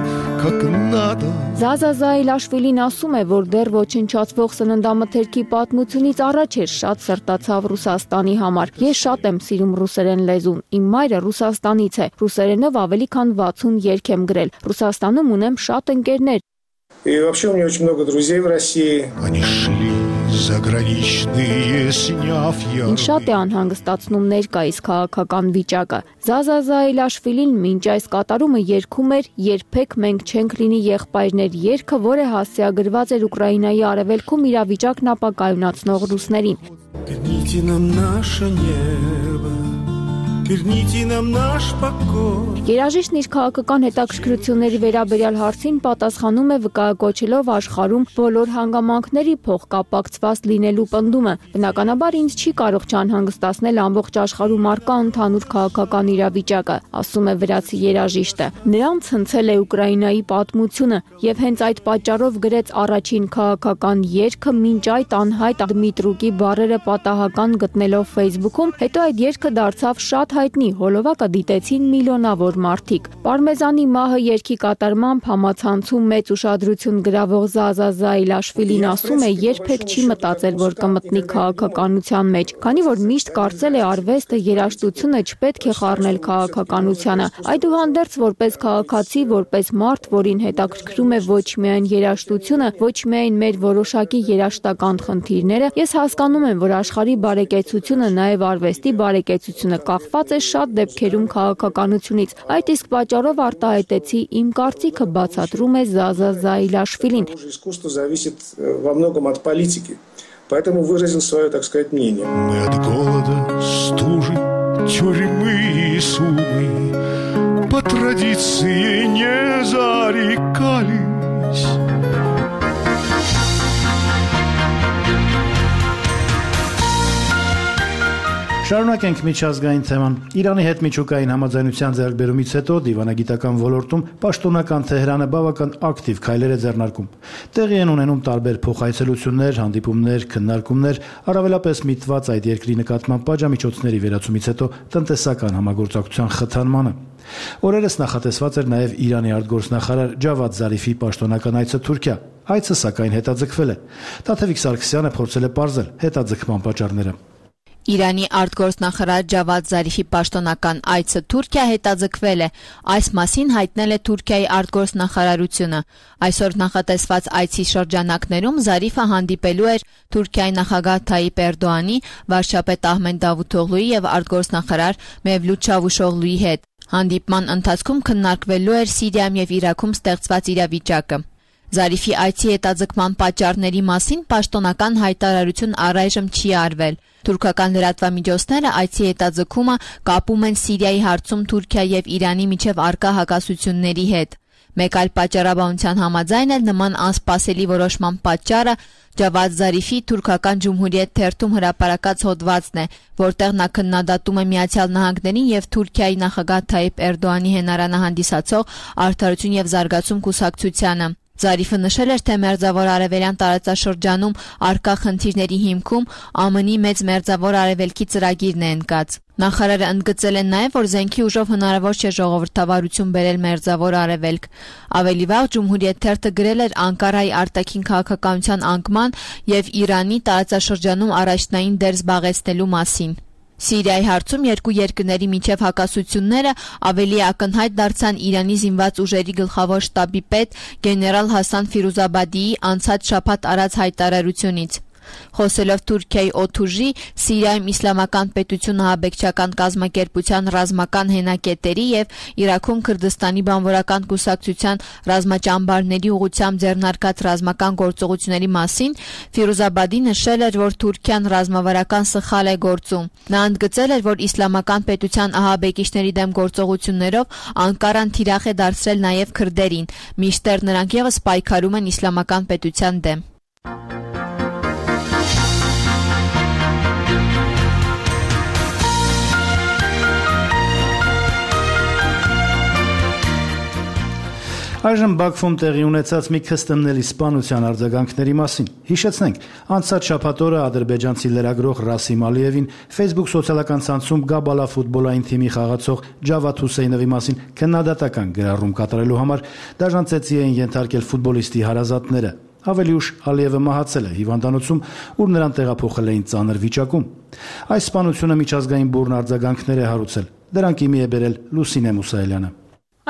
как надо. Զազա Զայլաշվիլին ասում է, որ դեռ ոչնչացվող սննդամթերքի պատմությունից առաջ էր շատ սրտացավ Ռուսաստանի համար։ Ես շատ եմ սիրում ռուսերեն լեզուն։ Իմ մայրը Ռուսաստանից է։ Ռուսերենով ավելի քան վաթսուն երգ եմ գրել։ Ռուսաստանում ունեմ շատ ընկերներ։ И вообще у меня очень много друзей в России. Они шли заграничные, сняв я. Ինչ շատ է անհանգստացնում ներկայիս քաղաքական վիճակը։ Զազա Զայլաշվիլին մինչ այս կատարումը երգում էր «Երբեք մենք չենք լինի եղբայրներ» երգը, որը հասցեագրված էր Ուկրաինայի արևելքում իրավիճակն ապակայունացնող ռուսներին։ Верните нам наше небо. Верните нам наш покой. Երաժիշտն իր քաղաքական հետաքրքրությունների վերաբերյալ հարցին պատասխանում է վկայակոչելով աշխարհում բոլոր հանգամանքների փոխկապակցված լինելու պնդումը։ Բնականաբար ինձ չի կարող չանհանգստացնել ամբողջ աշխարհում առկա ընդհանուր քաղաքական իրավիճակը, ասում է վրացի երաժիշտը։ Նրան ցնցել է Ուկրաինայի պատմությունը եւ հենց այդ պատճառով գրեց առաջին քաղաքական երգը, մինչ այդ անհայտ Դմիտրուկի բառերը պատահական գտնելով Facebook-ում, հետո այդ երգը դարձավ շատ հայտնի, հոլովակը դիտեցին միլիոնավոր մարդիկ։ Պարմեզանի մահը երգի կատարմամբ համացանցում մեծ ուշադրություն գրավող Զազա Զայլաշվիլին ասում է, երբեք չի մտածել, որ կմտնի քաղաքականության մեջ, քանի որ միշտ կարծել է արվեստը, երաժշտությունը չպետք է խառնել քաղաքականությանը։ Այդուհանդերձ որպես քաղաքացի, որպես մարդ, որին հետաքրքրում է ոչ միայն երաժշտությունը, ոչ միայն մեր որոշակի երաժշտական խնդիրները, ես հասկանում եմ, որ աշխարհի բարեկեցությունը, նաև արվեստի բարեկեցությունը կախված է շատ դեպքերում քաղաքականությունից։ Այդ իսկ պատճառով արտահայտեցի իմ կարծիքը, բացատրում է Զազա Զայլաշվիլին։ Искусство зависит во многом от политики, поэтому выразил свое, так сказать, мнение. Мы от голода, стужи, тюрьмы и сумы по традиции не зарекались. Շարունակենք միջազգային թեման։ Իրանի հետ միջուկային համաձայնության ձեռքբերումից հետո դիվանագիտական ոլորտում պաշտոնական Թեհրանը բավական ակտիվ քայլեր է ձեռնարկում։ Տեղի են ունենում տարբեր փոխայցելություններ, հանդիպումներ, քննարկումներ, առավելապես միտված այդ երկրի նկատմամբ պատժամիջոցների վերացումից հետո տնտեսական համագործակցության խթանմանը։ Օրերս նախատեսված էր նաև Իրանի արտգործնախարար Ջավադ Զարիֆի պաշտոնական այցը Թուրքիա։ Այցը սակայն հետաձգվել է։ Տաթևիկ Սարգսյանը փորձել է պարզել հետաձգման պատճառները։ Իրանի արտգործնախարար Ջավադ Զարիֆի պաշտոնական այցը Թուրքիա հետաձգվել է։ Այս մասին հայտնել է Թուրքիայի արտգործնախարարությունը։ Այսօր նախատեսված այցի շրջանակներում Զարիֆը հանդիպելու էր Թուրքիայի նախագահ Թայիպ Էրդողանի, վարչապետ Ահմեդ Դավութօղլուի եւ արտգործնախարար Մևլութ Չավուշօղլուի հետ։ Հանդիպման ընթացքում քննարկվելու էր Սիրիայում եւ Իրաքում ստեղծված իրավիճակը։ Զարիֆի այցի հետաձգման պատճառների մասին պաշտոնական հայտարարություն առայժմ չի արվել։ Թուրքական լրատվամիջոցները այցի հետաձգումը կապում են Սիրիայի հարցում Թուրքիա եւ Իրանի միջև առկա հակասությունների հետ։ Մեկ այլ պատճառաբանության համաձայն էլ նման անսպասելի որոշման պատճառը Ջավադ Զարիֆի թուրքական Ջումհուրիետ թերթում հրապարակած հոդվածն է, որտեղ նա քննադատում է Միացյալ Նահանգներին եւ Թուրքիայի նախագահ Թայիպ Էրդողանի հենարանը հանդիսացող Արդարություն եւ զարգացում կուսակցությանը։ Զարիֆը նշել էր, թե Մերձավոր Արևելյան տարածաշրջանում առկա խնդիրների հիմքում ԱՄՆ-ի մեծ Մերձավոր Արևելքի ծրագիրն է ընկած։ Նախարարը ընդգծել է նաև, որ զենքի ուժով հնարավոր չէ ժողովրդավարություն բերել Մերձավոր Արևելք։ Ավելի վաղ Ջումհուրիետ թերթը գրել էր Անկարայի արտաքին քաղաքականության անկման եւ Իրանի տարածաշրջանում առաջնային դեր զբաղեցնելու մասին։ Սիրիայի հարցում երկու երկրների միջև հակասությունները ավելի ակնհայտ դարձան Իրանի զինված ուժերի գլխավոր շտաբի պետ գեներալ Հասան Ֆիրուզաբադիի անցած շաբաթ արած հայտարարությունից։ Խոսելով Թուրքիայի օդուժի, Սիրիայում Իսլամական պետություն ահաբեկչական կազմակերպության ռազմական հենակետերի եւ Իրաքում Քրդստանի բանվորական կուսակցության ռազմաճամբարների ուղղությամբ ձեռնարկած ռազմական գործողությունների մասին Ֆիրուզաբադի նշել էր, որ Թուրքիան ռազմավարական սխալ է գործում։ Նա ընդգծել էր, որ Իսլամական պետության ահաբեկիչների դեմ գործողություններով Անկարան թիրախ է դարձրել նաեւ քրդերին, մինչդեռ նրանք եւս պայքարում են Իսլամական պետության դեմ։ Այժմ Բաքվում տեղի ունեցած մի քստմնելի սպանության արձագանքների մասին։ Հիշեցնենք, անցած շաբաթ օրը ադրբեջանցի լրագրող Ռասիմ Ալիևին Facebook սոցիալական ցանցում Գաբալա ֆուտբոլային թիմի խաղացող Ջավադ Հուսեյնովի մասին քննադատական գրառում կատարելու համար դաժան էին ենթարկել ֆուտբոլիստի հարազատները։ Ավելի ուշ Ալիևը մահացել է հիվանդանոցում, ուր նրան տեղափոխել էին ծանր վիճակում։ Այս սպանությունը միջազգային բուռն արձագանքներ է հարուցել։ Դրանք իմի է բերել Լուսինե Մուսայելյանը։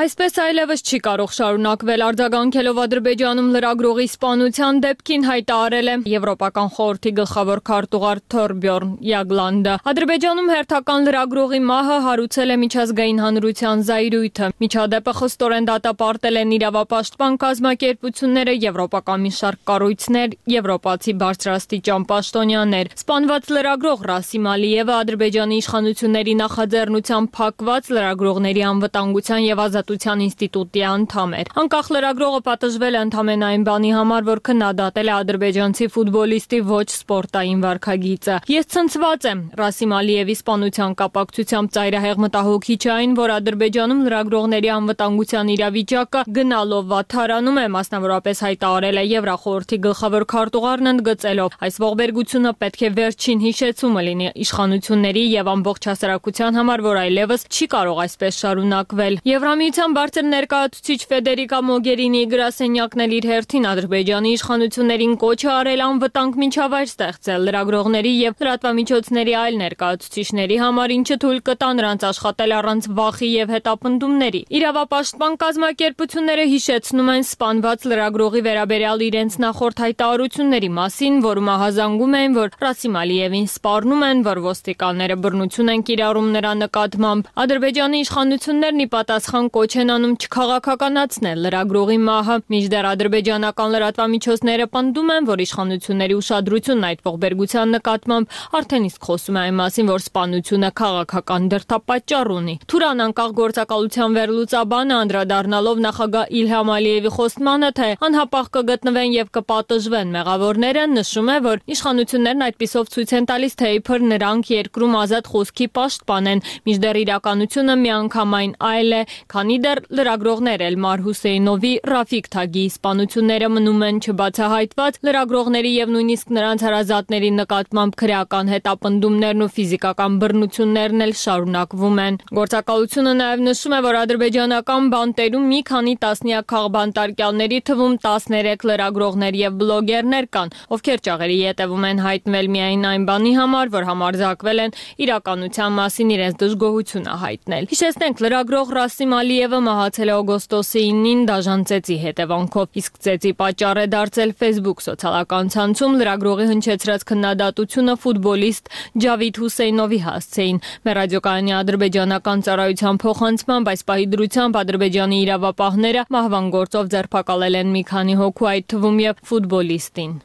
Այսպես այլևս չի կարող շարունակվել արձագանքելով Ադրբեջանում լրագրողի սպանության դեպքին հայտարարել է Եվրոպական խորհրդի գլխավոր քարտուղար Թորբյորն Յագլանդը։ Ադրբեջանում հերթական լրագրողի մահը հարուցել է միջազգային հանրության զայրույթը։ Միջադեպը խստորեն դատապարտել են իրավապաշտպան կազմակերպությունները, եվրոպական մի շարք կառույցներ, եվրոպացի բարձրաստիճան պաշտոնյաներ։ Սպանված լրագրող Ռասիմ Ալիևը Ադրբեջանի իշխանությունների նախաձեռնությամբ փակված լրագրողների անվտանգության եւ Ազատության ինստիտուտի անդամ էր։ Անկախ լրագրողը պատժվել է ընդամենը այն բանի համար, որ քննադատել է ադրբեջանցի ֆուտբոլիստի ոչ սպորտային վարքագիծը։ Ես ցնցված եմ Ռասիմ Ալիևի սպանության կապակցությամբ ծայրահեղ մտահոգիչ է այն, որ Ադրբեջանում լրագրողների անվտանգության իրավիճակը գնալով վատթարանում է, մասնավորապես հայտարարել է Եվրախորհրդի գլխավոր քարտուղարն ընդգծելով. այս ողբերգությունը պետք է վերջին հիշեցումը լինի իշխանությունների եւ ամբողջ հասարակության համար, որ այլևս չի կարող այսպես շարունակվել։ Եվրամիության բարձր ներկայացուցիչ Ֆեդերիկա Մոգերինիի գրասենյակն էլ իր հերթին Ադրբեջանի իշխանություններին կոչ է արել անվտանգ միջավայր ստեղծել լրագրողների եւ լրատվամիջոցների այլ ներկայացուցիչների համար, ինչը թույլ կտա նրանց աշխատել առանց վախի եւ հետապնդումների։ Իրավապաշտպան կազմակերպությունները հիշեցնում են սպանված լրագրողի վերաբերյալ իրենց նախորդ հայտարարությունների մասին, որում ահազանգում են, որ Ռասիմ Ալիևին սպառնում են, որ ոստիկանները բռնություն են կիրառում նրա նկատմամբ։ Ադրբեջանի իշխանություններն ի պատասխան կոչ են անում չքաղաքականացնել լրագրողի մահը։ Մինչդեռ ադրբեջանական լրատվամիջոցները պնդում են, որ իշխանությունների ուշադրությունն այդ ողբերգության նկատմամբ արդեն իսկ խոսում է այն մասին, որ սպանությունը քաղաքական դրդապատճառ ունի։ Թուրան անկախ գործակալության վերլուծաբանը անդրադառնալով նախագահ Իլհամ Ալիևի խոստմանը, թե անհապաղ կգտնվեն եւ կպատժվեն մեղավորները, նշում է, որ իշխանություններն այդպիսով ցույց են տալիս, թե իբր նրանք երկրում ազատ խոսքի պաշտպան են, մինչդեռ իրականությունը միանգամայն այլ է, քանի դեռ լրագրողներ Էլմար Հուսեյնովի, Ռաֆիկ Թագիի սպանությունները մնում են չբացահայտված, լրագրողների եւ նույնիսկ նրանց հարազատների նկատմամբ քրեական հետապնդումներն ու ֆիզիկական բռնություններն էլ շարունակվում են։ Գործակալությունը նաեւ նշում է, որ ադրբեջանական բանտերում մի քանի տասնյակ քաղբանտարկյալների թվում տասներեք լրագրողներ եւ բլոգերներ կան, ովքեր ճաղերի ետևում են հայտնվել միայն այն բանի համար, որ համարձակվել են իրականության մասին իրենց դժգոհությունը հայտնել։ Հիշեցնենք, լրագրող Ռասիմ Ալիևը մահացել է օգոստոսի ինին դաժան ծեծի հետևանքով, իսկ ծեծի պատճառ է դարձել Facebook սոցիալական ցանցում լրագրողի հնչեցրած քննադատությունը ֆուտբոլիստ Ջավիդ Հուսեյնովի հասցեին։ Մեր ռադիոկայանի ադրբեջանական ծառայության փոխանցմամբ այս պահի դրությամբ Ադրբեջանի իրավապահները մահվան գործով ձերբակալել են մի քանի հոգու, այդ թվում եւ ֆուտբոլիստին։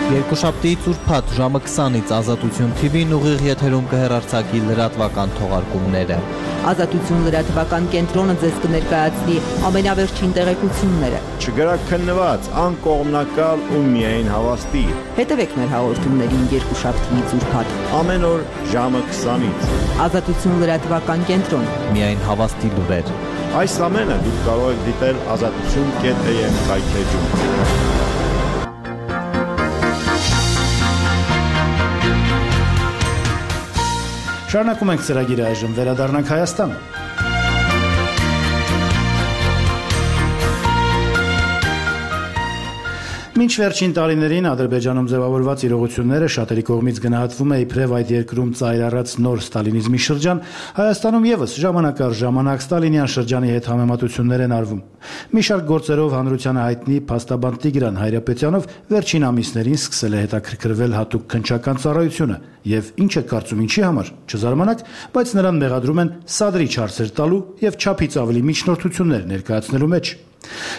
Երկուշաբթի ծուրփաթ ժամը քսանից Ազատություն թի վին ուղիղ եթերում կհեռարձակի լրատվական թողարկումները։ Ազատություն լրատվական կենտրոնը ձեզ կներկայացնի ամենավերջին տեղեկությունները։ Չգրակ քննված, անկողմնակալ ու միայն հավաստի։ Հետևեք մեր հաղորդումներին երկուշաբթի ծուրփաթ ամեն օր ժամը քսանից։ Ազատություն լրատվական կենտրոն։ Միայն հավաստի լուրեր։ Այս ամենը դուք կարող եք դիտել ազատություն կետ է եմ հայթեջում։ Շարունակում ենք ծրագիրը, այժմ վերադառնանք Հայաստան։ Մինչ վերջին տարիներին Ադրբեջանում ձևավորված իրողությունները շատերի կողմից գնահատվում է իբրև այդ երկրում ծայր առած նոր ստալինիզմի շրջան, Հայաստանում եւս ժամանակ առ ժամանակ ստալինյան շրջանի հետ համեմատություններ են արվում։ Մի շարք գործերով հանրությանը հայտնի փաստաբան Տիգրան Հայրապետյանով վերջին ամիսներին սկսել է հետաքրքրվել հատուկ քննչական ծառայությունը եւ ինչ է կարծում ինչի համար, չզարմանաք, բայց նրան մեղադրում են սադրիչ հարցեր տալու եւ չափից ավելի միջնորդություններ ներկայացնելու մեջ։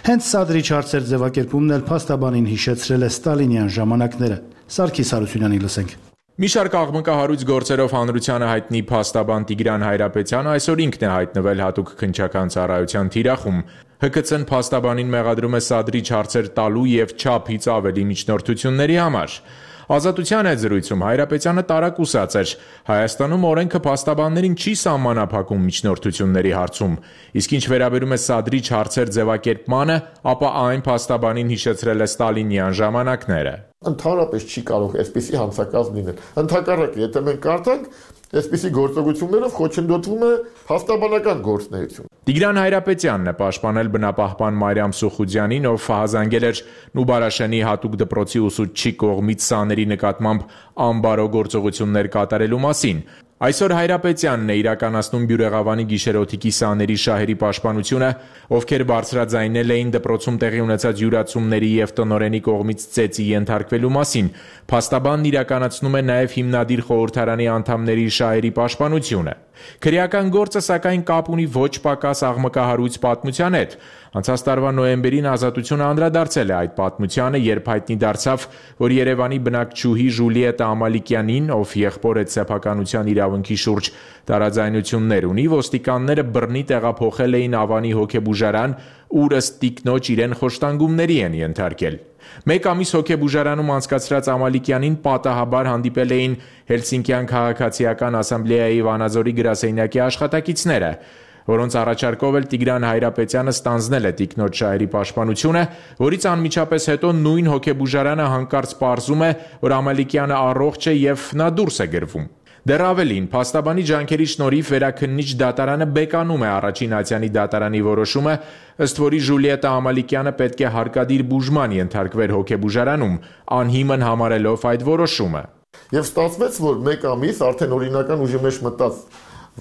Հենց սադրիչ հարցեր ձևակերպումն էլ փաստաբանին հիշեցրել է ստալինյան ժամանակները։ Սարգիս Հարությունյանի լսենք։ Մի շարք աղմկահարույց գործերով հանրությանը հայտնի փաստաբան Տիգրան Հայրապետյանը այսօր ինքն է հայտնվել հատուկ քննչական ծառայության թիրախում։ Հ K C-ն փաստաբանին մեղադրում է սադրիչ հարցեր տալու եւ չափից ավելի միջնորդությունների համար։ Ազատության այդ զրույցում Հայրապետյանը տարակուսած էր. Հայաստանում օրենքը փաստաբաններին չի սահմանափակում միջնորդությունների հարցում, իսկ ինչ վերաբերում է սադրիչ հարցեր ձևակերպմանը, ապա այն փաստաբանին հիշեցրել է ստալինյան ժամանակները։ Ընդհանրապես չի կարող այսպիսի հանցակազմ լինել։ Ընդհակառակը, եթե մենք կարդանք, այսպիսի գործողություններով խոչընդոտվում է փաստաբանական գործունեություն։ Տիգրան Հայրապետյանն է պաշտպանել բնապահպան Մարիամ Սուխուդյանին, ով հազանգել էր Նուբարաշենի հատուկ դպրոցի ուսուցչի կողմից սաների նկատմամբ անբարո գործողություններ կատարելու մասին։ Այսօր Հայրապետյանն է իրականացնում Բյուրեղավանի գիշերօթիկի սաների շահերի պաշտպանությունը, ովքեր բարձրաձայնել էին դպրոցում տեղի ունեցած յուրացումների եւ տնօրենի կողմից ծեծի ենթարկվելու մասին։ Փաստաբանն իրականացնում է նաեւ հիմնադիր խորհրդարանի անդամների շահերի պաշտպանությունը։ Քրեական գործը սակայն կապ ունի ոչ պակաս աղմկահարույց պատմության հետ։ Անցած տարվա նոյեմբերին Ազատությունը անդրադարձել է այդ պատմությանը, երբ հայտնի դարձավ, որ Երևանի բնակչուհի Ժուլիետա Ամալիկյանին, ով եղբոր այդ սեփականության իրավունքի շուրջ տարաձայնություններ ունի, ոստիկանները բռնի տեղափոխել էին Ավանի հոգեբուժարան, ուր ըստ տիկնոջ իրեն խոշտանգումների են ենթարկել։ Մեկ ամիս հոգեբուժարանում անցկացրած Ամալիկյանին պատահաբար հանդիպել էին Հելսինկյան քաղաքացիական ասամբլեայի Վանաձորի գրասենյակի աշխատակիցները, որոնց առաջարկով էլ Տիգրան Հայրապետյանը ստանձնել է տիկնոջ շահերի պաշտպանությունը, որից անմիջապես հետո նույն հոգեբուժարանը հանկարծ պարզում է, որ Ամալիկյանը առողջ է եւ նա դուրս է գրվում։ Դեռ ավելին, փաստաբանի ջանքերի շնորհիվ վերաքննիչ դատարանը բեկանում է առաջին Ացյանի դատարանի որոշումը, ըստ որի Ժուլիետա Ամալիկյանը պետք է հարկադիր բուժման ենթարկվեր հոգեբուժարանում, անհիմն համարելով այդ որոշումը։ Եվ ստացվեց, որ մեկ ամիս արդեն օրինական ուժի մեջ մտած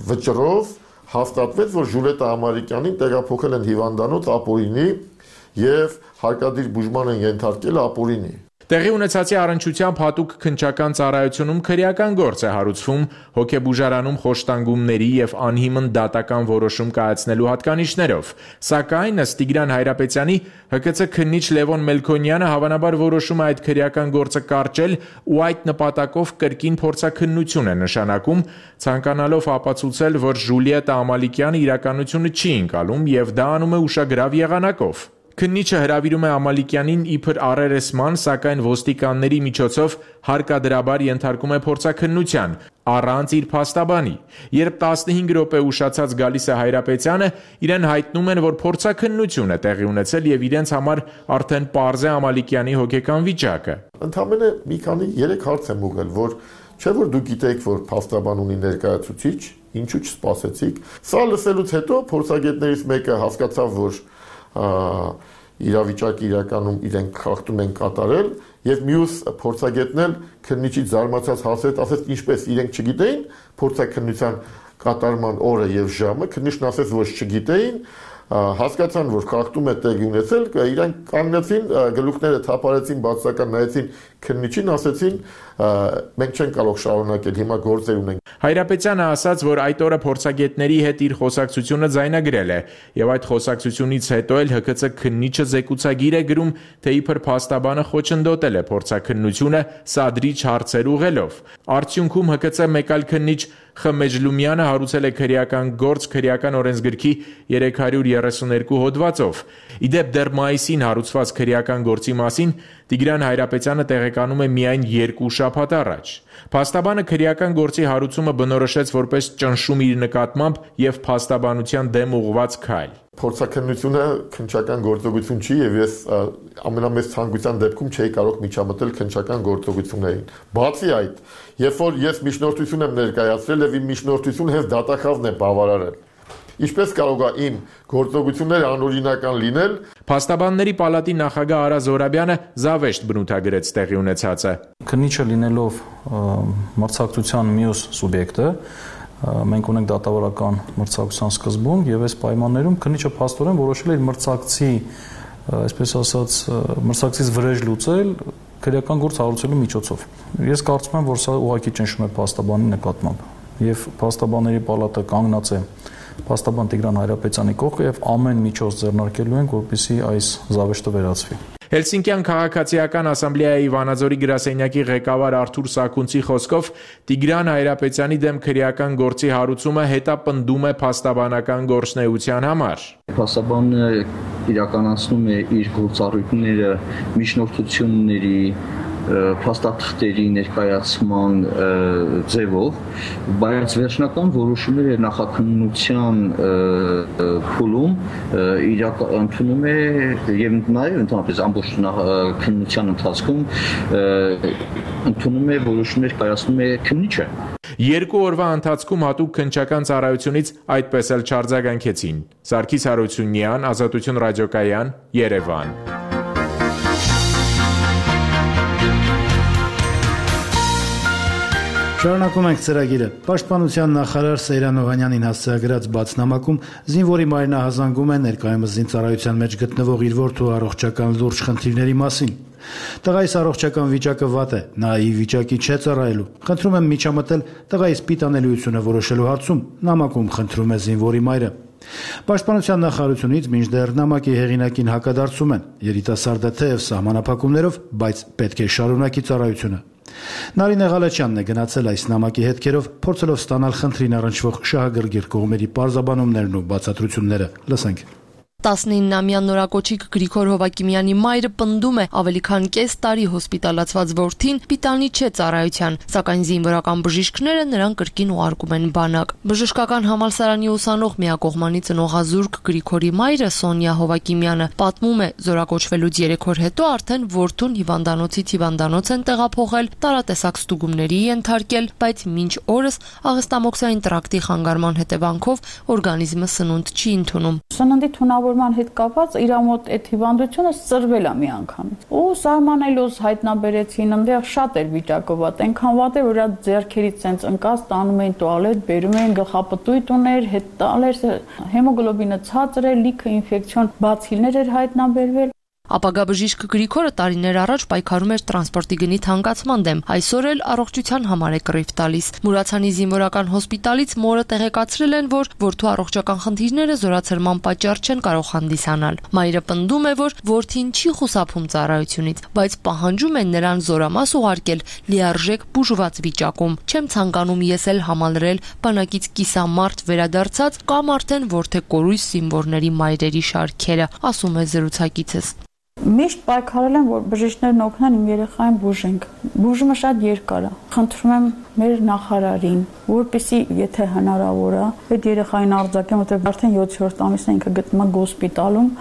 վճռով հաստատվեց, որ Ժուլիետա Ամալիկյանին տեղափոխել են հիվանդանոց ապօրինի եւ հարկադիր բուժման են ենթարկել ապօրինի։ Տեղի ունեցածի առնչությամբ հատուկ քննչական ծառայությունում քրեական գործ է հարուցվում հոգեբուժարանում խոշտանգումների եւ անհիմն դատական որոշում կայացնելու հատկանիշներով, սակայն ըստ Տիգրան Հայրապետյանի Հ K C քննիչ Լևոն Մելքոնյանը հավանաբար որոշում է այդ քրեական գործը կարճել ու այդ նպատակով կրկին փորձաքննություն է նշանակում, ցանկանալով ապացուցել, որ Ժուլիետա Ամալիկյանը իրականությունը չի ընկալում եւ դա անում է ուշագրավ եղանակով։ Քննիչը հրավիրում է Ամալիկյանին իբր առերեսման, սակայն ոստիկանների միջոցով հարկադրաբար ենթարկում է փորձաքննության, առանց իր փաստաբանի։ Երբ տասնհինգ րոպե ուշացած գալիս է Հայրապետյանը, իրեն հայտնում են, որ փորձաքննություն է տեղի ունեցել եւ իրենց համար արդեն պարզ է Ամալիկյանի հոգեկան վիճակը։ Ընդամենը մի քանի երեք հարց եմ ուղղել, որ չէ՞ որ դուք գիտեք, որ փաստաբան ունի ներկայացուցիչ, ինչու չսպասեցիք։ Սա լսելուց հետո փորձագետներից մեկը հասկացավ, որ իրավիճակի իրականում իրենք խախտում են կատարել եւ մյուս փորձագետն էլ քննիչից զարմացած հասեց, ասեց ինչպես իրենք չգիտեին փորձաքննության կատարման օրը եւ ժամը, քննիչն ասեց որ չգիտեին, հասկացան որ խախտում է տեղի ունեցել, իրանք կանգնեցին, գլուխները թափարեցին, բացական նայեցին քննիչին, ասեցին մենք չենք կարող շարունակել, հիմա գործեր ունենք։ Հայրապետյանը ասաց, որ այդ օրը փորձագետների հետ իր խոսակցությունը ձայնագրել է եւ այդ խոսակցությունից հետո էլ Հ K C քննիչը զեկուցագիր է գրում, թե իբր փաստաբանը խոչընդոտել է փորձաքննությունը սադրիչ հարցեր ուղղելով։ Արդյունքում Հ K C մեկ այլ քննիչ Խ Մեջլումյանը հարուցել է քրեական գործ քրեական օրենսգրքի երեք հարյուր երեսուներկու հոդվածով։ Իդեպ դեռ մայիսին հարուցված քրեական գործի մասին Տիգրան Հայրապետյանը տեղեկանում է միայն երկու շաբաթ առաջ։ Փաստաբանը քրեական գործի հարուցումը բնորոշեց որպես ճնշում իր նկատմամբ եւ փաստաբանության դեմ ուղղված քայլ։ Փորձաքննությունը քննչական գործողություն չի եւ ես ամենամեծ ցանկության դեպքում չէի կարող միջամտել քննչական գործողություններին։ Բացի այդ, երբ որ ես միջնորդություն եմ ներկայացրել եւ իմ միջնորդությունը հենց դատախազն է բավարարել, ինչպես կարող է իմ գործողությունները անօրինական լինել։ Փաստաբանների պալատի նախագահ Արա Զորաբյանը զավեշտ բնութագրեց տեղի ունեցածը։ Քննիչը լինելով մրցակցության մյուս սուբյեկտը, մենք ունենք դատավարական մրցակցության սկզբում եւ այս պայմաններում քննիչը փաստորեն որոշել է իր մրցակցի, այսպես ասած, մրցակցից վրեժ լուծել քրեական գործ հարուցելու միջոցով։ Ես կարծում եմ, որ սա ուղղակի ճնշում է փաստաբանի նկատմամբ եւ փաստաբանների պալատը կանգնած է փաստաբան Տիգրան Հայրապետյանի կողքը եւ ամեն միջոց ձեռնարկելու են, որպեսզի այս զավեշտը վերացվի։ Հելսինկյան քաղաքացիական ասամբլեայի Վանաձորի գրասենյակի ղեկավար Արթուր Սաքունցի խոսքով Տիգրան Հայրապետյանի դեմ քրեական գործի հարուցումը հետապնդում է փաստաբանական գործունեության համար։ Փաստաբանը իրականացնում է իր գործառույթները միջնորդությունների փաստաթղթերի ներկայացման ձևով, բայց վերջնական որոշումները նախաքննության փուլում ընդունում է եւ նաեւ ընդհանրապես ամբողջ քննության ընթացքում ընդունում է որոշումներ կայացնում է քննիչը։ Երկու օրվա ընթացքում հատուկ քննչական ծառայությունից այդպես էլ չարձագանքեցին։ Սարգիս Հարությունյան, Ազատություն ռադիոկայան, Երևան։ Շարունակում ենք ծրագիրը։ Պաշտպանության նախարար Սեյրան Օհանյանին հասցեագրած բաց նամակում զինվորի մայրն ահազանգում է ներկայումս զինծառայության մեջ գտնվող իր որդու առողջական լուրջ խնդիրների մասին։ Տղայիս առողջական վիճակը վատ է, նա ի վիճակի չէ ծառայելու։ Խնդրում եմ միջամտել տղայիս պիտանելիությունը որոշելու հարցում, նամակում խնդրում է զինվորի մայրը։ Պաշտպանության նախարարությունից մինչդեռ նամակի հեղինակին հակադարձում են։ Երիտասարդը թեև սահմանափակումներով, բայց պետք է շարունակի ծառայությունը։ Նարինե Ղալեչյանն է գնացել այս նամակի հետքերով, փորձելով ստանալ խնդրին առնչվող շահագրգիռ կողմերի պարզաբանումներն ու բացատրությունները։ Լսենք։ տասնիննամյա նորակոչիկ Գրիգոր Հովակիմյանի մայրը պնդում է ավելի քան կես տարի հոսպիտալացված որդին պիտանի չէ ծառայության, սակայն զինվորական բժիշկները նրան կրկին ուղարկում են բանակ։ Բժշկական համալսարանի ուսանող միակողմանի ծնողազուրկ Գրիգորի մայրը Սոնյա Հովակիմյանը պատմում է, զորակոչվելուց երեք օր հետո արդեն որդուն հիվանդանոցից հիվանդանոց են տեղափոխել, տարատեսակ ստուգումների ենթարկել, բայց մինչ օրս աղեստամոքսային տրակտի խանգարման հետևանքով օրգանիզմը սնունդ չի ընդունում։ Սննդի թունավորման հետ կապված իր մոտ այդ հիվանդությունը ծրվել է մի անգամ։ Ու սահմանելուց հայտնաբերեցին, այնտեղ շատ էր վիճակը վատ, այնքան վատ էր, որ այդ ձեռքերից ցենց ընկած տանում էին տուալետ, բերում էին գլխապտույտ ուներ, հետ տալեր, հեմոգլոբինը ցածր էր, լիքը ինֆեկցիոն բացիլներ էր հայտնաբերվել։ Ապագա բժիշկ Գրիգորը տարիներ առաջ պայքարում էր տրանսպորտի գնի թանկացման դեմ, այսօր էլ առողջության համար է կռիվ տալիս։ Մուրացանի զինվորական հոսպիտալից մորը տեղեկացրել են, որ որդու առողջական խնդիրները զորացրման պատճառ չեն կարող հանդիսանալ։ Մայրը պնդում է, որ որդին չի խուսափում ծառայությունից, բայց պահանջում են նրան զորամաս ուղարկել լիարժեք բուժված վիճակում։ Չեմ ցանկանում ես էլ համալրել բանակից կիսամարտ վերադարձած կամ արդեն որդեկորույս զինվորների մայրերի շարքերը, ասում է զրուցակիցս։ Միշտ պայքարել եմ, որ բժիշկներն օգնեն իմ երեխային բուժենք։ Բուժումը շատ երկար է։ Խնդրում եմ մեր նախարարին, որպեսզի եթե հնարավոր է, այդ երեխային արձակեմ, որտեղ արդեն յոթերորդ ամիսն է ինքը գտնվում է հոսպիտալում։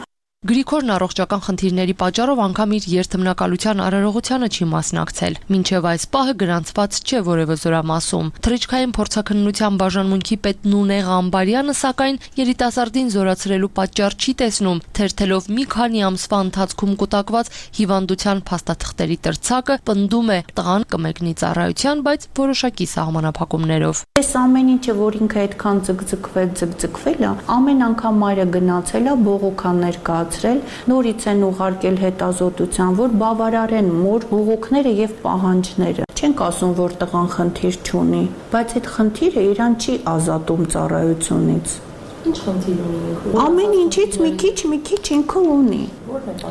Գրիգորն առողջական խնդիրների պատճառով անգամ իր երթմնակալության արարողությանը չի մասնակցել։ Մինչև այս պահը գրանցված չէ որևէ զորամասում։ Թռիչքային փորձաքննության բաժանմունքի պետ Նունեղ Ամբարյանը սակայն երիտասարդին զորացրելու պատճառ չի տեսնում, թերթելով մի քանի ամսվա ընթացքում կուտակված հիվանդության փաստաթղթերի տրցակը, պնդում է տղան կմեկնի ծառայության, բայց որոշակի սահմանափակումներով։ Այս ամեն ինչը, որ ինքը այդքան ձգձգվել, ձգձգվել է, ամեն անգամ մայրը գնացել է, բողոքաններ կա նորից են ուղարկել հետազոտության, որ բավարարեն մոր բողոքները եւ պահանջները։ Չենք ասում, որ տղան խնդիր չունի, բայց այդ խնդիրը իրան չի ազատում ծառայությունից։ Ինչ խնդիր ունի։ Ամեն ինչից մի քիչ, մի քիչ ինքը ունի։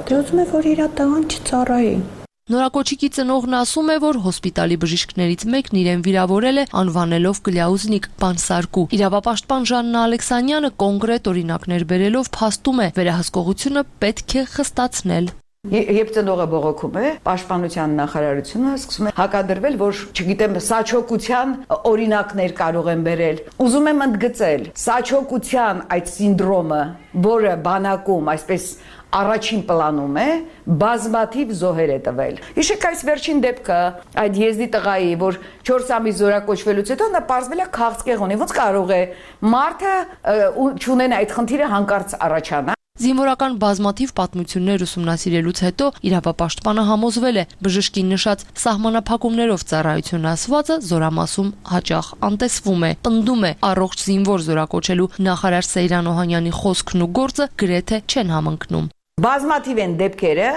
Դե ուզում է, որ իր տղան չծառայի։ Նորակոչիկի ծնողն ասում է, որ հոսպիտալի բժիշկներից մեկն իրեն վիրավորել է անվանելով Կլյաուզնիկ բանսարկու։ Իրավապաշտպան Ժաննա Ալեքսանյանը կոնկրետ օրինակներ բերելով փաստում է, վերահսկողությունը պետք է խստացնել։ Երբ ծնողը բողոքում է, պաշտպանության նախարարությունը սկսում է հակադրվել, որ, չգիտեմ, սաչոկության օրինակներ կարող են բերել։ Ուզում եմ ընդգծել, սաչոկության այդ սինդրոմը, որը բանակում այսպես առաջին պլանում է, բազմաթիվ զոհեր է տվել։ Հիշեք այս վերջին դեպքը, այդ եզդի տղայի, որ չորս ամիս զորակոչվելուց հետո նա պարզվել է քաղցկեղ ունի, ոնց կարող է մարդը չունենա այդ խնդիրը հանկարծ առաջանա։ Զինվորական բազմաթիվ պատմություններ ուսումնասիրելուց հետո իրավապաշտպանը համոզվել է, բժշկի նշած սահմանափակումներով ծառայություն ասվածը զորամասում հաճախ անտեսվում է։ Պնդում է, առողջ զինվոր զորակոչելու նախարար Սեյրան Օհանյանի խոսքն ու գործը գրեթե չեն համընկնում։ Բազմաթիվ են դեպքերը,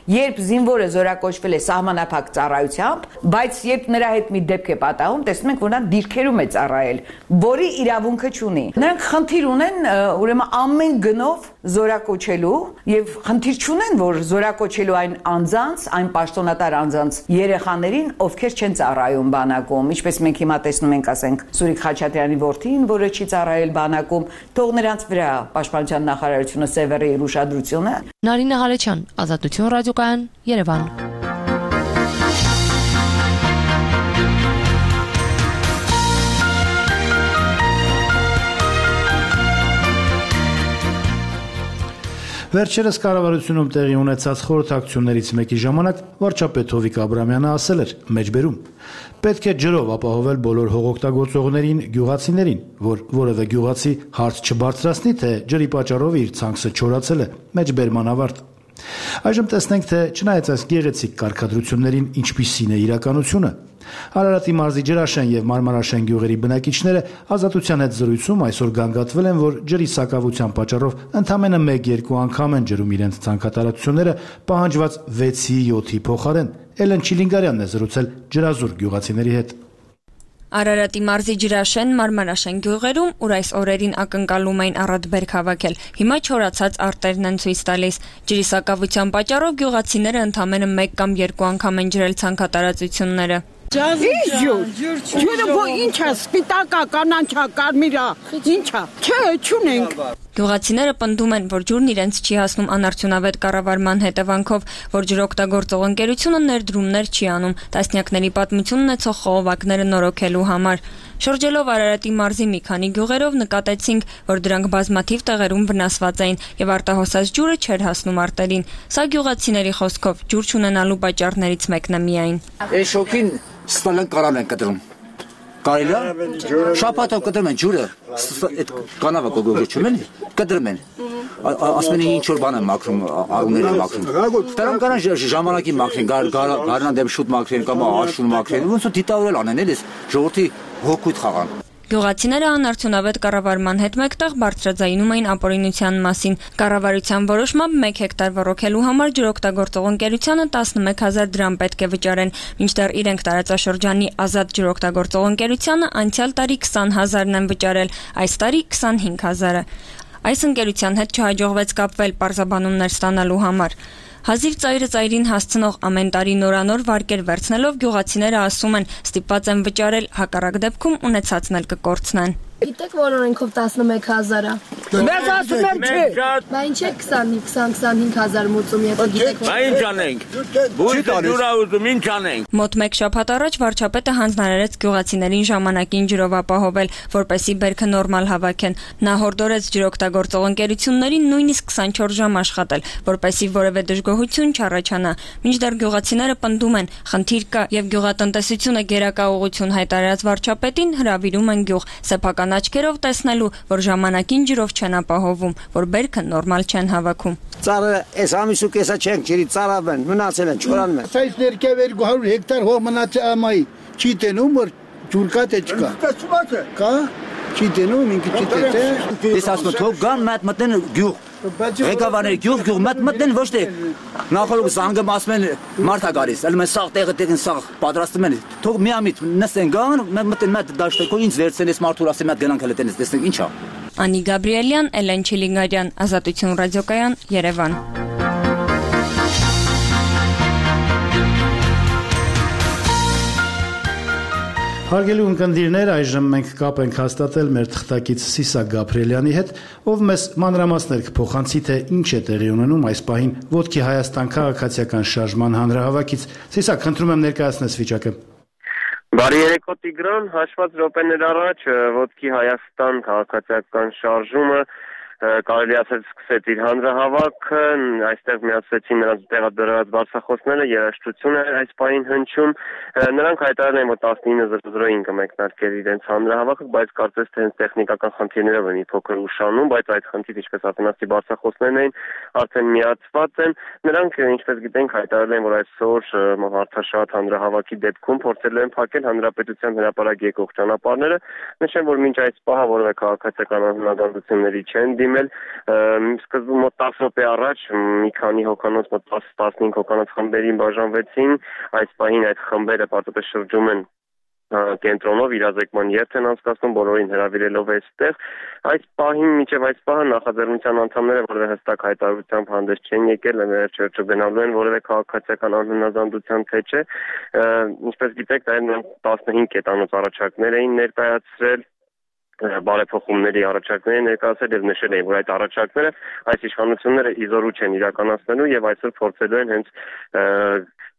երբ զինվորը զորակոչվել է սահմանափակ ծառայությամբ, բայց երբ նրա հետ մի դեպք է պատահում, տեսնում ենք, որ նա դիրքերում է ծառայել, որի իրավունքը չունի։ Նրանք խնդիր ունեն, ուրեմն ամեն գնով զորակոչելու եւ խնդիր չունեն, որ զորակոչելու այն անձանց, այն պաշտոնատար անձանց երեխաներին, ովքեր չեն ծառայում բանակում, ինչպես մենք հիմա տեսնում ենք, ասենք, Սուրիկ Խաչատրյանի որդին, որը չի ծառայել բանակում, թող նրանց վրա պաշտպանության նախարարությունը սևեռի իր ուշադրությունը։ Նարինե Ղալեչյան, Ազատություն ռադիոկայան, Երևան։ Վերջերս կառավարությունում տեղի ունեցած խորհրդակցություններից մեկի ժամանակ վարչապետ Հովիկ Աբրամյանը ասել էր մեջբերում. պետք է ջրով ապահովել բոլոր հողօգտագործողներին, գյուղացիներին, որ որևէ գյուղացի հարց չբարձրացնի, թե ջրի պատճառով իր ցանքսը չորացել է, մեջբերման ավարտ։ Այժմ տեսնենք, թե չնայած այս գեղեցիկ կարգադրություններին ինչպիսին է իրականությունը։ Արարատի մարզի Ջրաշեն եւ Մարմարաշեն գյուղերի բնակիչները Ազատության հետ զրույցում այսօր գանգատվել են, որ ջրի սակավության պատճառով ընդամենը մեկ-երկու անգամ են ջրում իրենց ցանկատարությունները պահանջված վեցի յոթի փոխարեն։ Էլեն Չիլինգարյանն է զրուցել ջրազուրկ գյուղացիների հետ։ Արարատի մարզի Ջրաշեն, Մարմարաշեն գյուղերում, ուր այս օրերին ակնկալում էին առատբերք հավաքել, հիմա չորացած արտերն են ցույց տալիս։ Ջրի սակավության պատճառով գյուղացիները ընդամենը մեկ կամ երկու անգամ են ջրել ցանկատարածությունները։ Ջուրը ինչա, սպիտակա, կանանչա, կարմիրա, ինչա, չէ, չունենք։ Գյուղացիները պնդում են, որ ջուրն իրենց չի հասնում անարդյունավետ կառավարման հետևանքով, որ ջրօգտագործող ընկերությունը ներդրումներ չի անում տասնյակների պատմություն ունեցող խողովակները նորոգելու համար։ Շրջելով Արարատի մարզի մի քանի գյուղերով նկատեցինք, որ դրանք բազմաթիվ տեղերում վնասված էին եւ արտահոսած ջուրը չէր հասնում արտերին։ Սա գյուղացիների խոսքով ջուր չունենալու պատճառներից մեկն է միայն։ Այս շոկին ստալան կարան են կտրում։ Կարելի է շաբաթով կտրում են ջուրը, այդ կանավը կողոջում են, կտրում են։ Ասում են ինչ որ բան են մաքրում, արուներ են մաքրում։ Դրանք կարան ժամանակի մաքրեն, գարնան դեմ շուտ մաքրեն կամ աշուն մաքրեն, ոնց որ դիտավորել անեն, էլի ժողովրդի հոգուտ խաղան։ Գյուղացիները անարդյունավետ կառավարման հետ մեկտեղ բարձրաձայնում էին ապօրինության մասին։ Կառավարության որոշմամբ մեկ հեկտար ոռոգելու համար ջրօգտագործող ընկերությանը տասնմեկ հազար դրամ պետք է վճարեն, մինչդեռ իրենք տարածաշրջանի ազատ ջրօգտագործող ընկերությանը անցյալ տարի քսան հազարն են վճարել, այս տարի քսանհինգ հազարը։ Այս ընկերության հետ չհաջողվեց կապվել պարզաբանումներ ստանալու համար։ Հազիվ ծայրը ծայրին հասցնող ամեն տարի նորանոր վարկեր վերցնելով գյուղացիները ասում են ստիպված են վճարել, հակառակ դեպքում ունեցածն էլ կկորցնեն։ Գիտեք, որ օրենքով տասնմեկ հազար է։ Մեզ ասում եմ չէ։ Բա ինչ է քսանհինգ քսանհինգ հազար մուծում, եթե գիտեք։ Բա ինչ անենք։ Բույսը ջուրա ուզում ինչ անենք։ Մոտ մեկ շաբաթ առաջ վարչապետը հանձնարարեց գյուղացիներին ժամանակին ջրով ապահովել, որպեսզի բերքը նորմալ հավաքեն։ Նա հորդորեց ջրօգտագործող ընկերություններին նույնիսկ քսանչորս ժամ աշխատել, որպեսզի որևէ դժգոհություն չառաջանա։ Մինչդեռ գյուղացիները պնդում են, խնդիր կա եւ գյուղատնտեսությունը գերակա ուղղություն հայտարարած վարչապետին հրավիրում են գյուղ սեփական աչքերով տեսնելու, որ ժամանակին ջրով չեն ապահովում, որ բերքը նորմալ չեն հավաքում։ Ծառը այս ամիսու կեսա չենք ջրի ծառավ են, մնացել են, չորանում են։ Այս ներքև երկու հարյուր հեկտար հող մնացել ամայի, չի տենում, որ ջուր կա թե չկա։ Կա, չի տենում, ինքը չի տետե։ Ես ասում եմ, թող գան մատ մտնեն գյուղ։ Ղեկավարները գյուղ գյուղ մատ մտնեն ոչ թե նախորդ զանգը ասում են մարդա գալիս, ալում են սաղ տեղը տեղին սաղ պատրաստում են։ Թող միամիտ նստեն գան, մտնեն մատ դաշտեկո ինձ վերցեն ես մարդուր ասեմ մատ գնանք հենց տենես տեսնենք ինչա։ Անի Գաբրիելյան, Էլեն Չիլինգարյան, Ազատություն ռադիոկայան, Երևան։ Հարգելի ունկնդիրներ, այժմ մենք կապ ենք հաստատել մեր թղթակից Սիսակ Գաբրիելյանի հետ, ով մեզ մանրամասներ կփոխանցի, թե ինչ է տեղի ունենում այս պահին Ոտքի Հայաստան քաղաքացիական շարժման հանրահավաքից։ Սիսակ, խնդրում եմ ներկայացնես վիճակը։ Բարի երեկո Տիգրան, հաշված րոպեներ առաջ Ոտքի Հայաստան քաղաքացիական շարժումը կարելի ասել սկսեց իր հանրահավաքը, այստեղ միացրեցին նրանց տեղադրված բարձրախոսները, երաժշտություն էր այս պահին հնչում, նրանք հայտարարել են, որ տասնինը զրոյին կմեկնարկել իրենց հանրահավաքը, բայց կարծես թե հենց տեխնիկական խնդիրներով են մի փոքր ուշանում, բայց այդ խնդիրը, ինչպես ասացի, բարձրախոսներն էին, արդեն միացված են, նրանք ինչպես գիտենք հայտարարել են, որ այսօր մարդաշատ հանրահավաքի դեպքում փորձել են փակել հանրապետության հրապարակ եկող ճանապարհները, նշեմ, որ մինչ այս պահը որևէ քաղաքացիական անհնագանդությունների չեն դիմել, սկզբում մոտ տասը րոպե առաջ մի քանի հոգանոց, մոտ տասնհինգ հոգանոց խմբերին բաժանվեցին, այս պահին այդ խմբերը պարզապես շրջում են կենտրոնով իրազեկման երթ են անցկացնում, բոլորին հրավիրելով այստեղ, այս պահին մինչև այս պահը նախաձեռնության անդամները որևէ հստակ հայտարարությամբ հանդես չեն եկել, չգնալու են որևէ քաղաքացիական անհնազանդության թե չէ, ինչպես գիտեք, նրանք տասնհինգ կետանոց առաջարկներ էին ներկայացրել, բարեփոխումների առաջարկներ ներկայացել եւ նշել էին, որ այդ առաջարկները այս իշխանությունները իզորու չեն իրականացնելու եւ այսօր փորձելու են հենց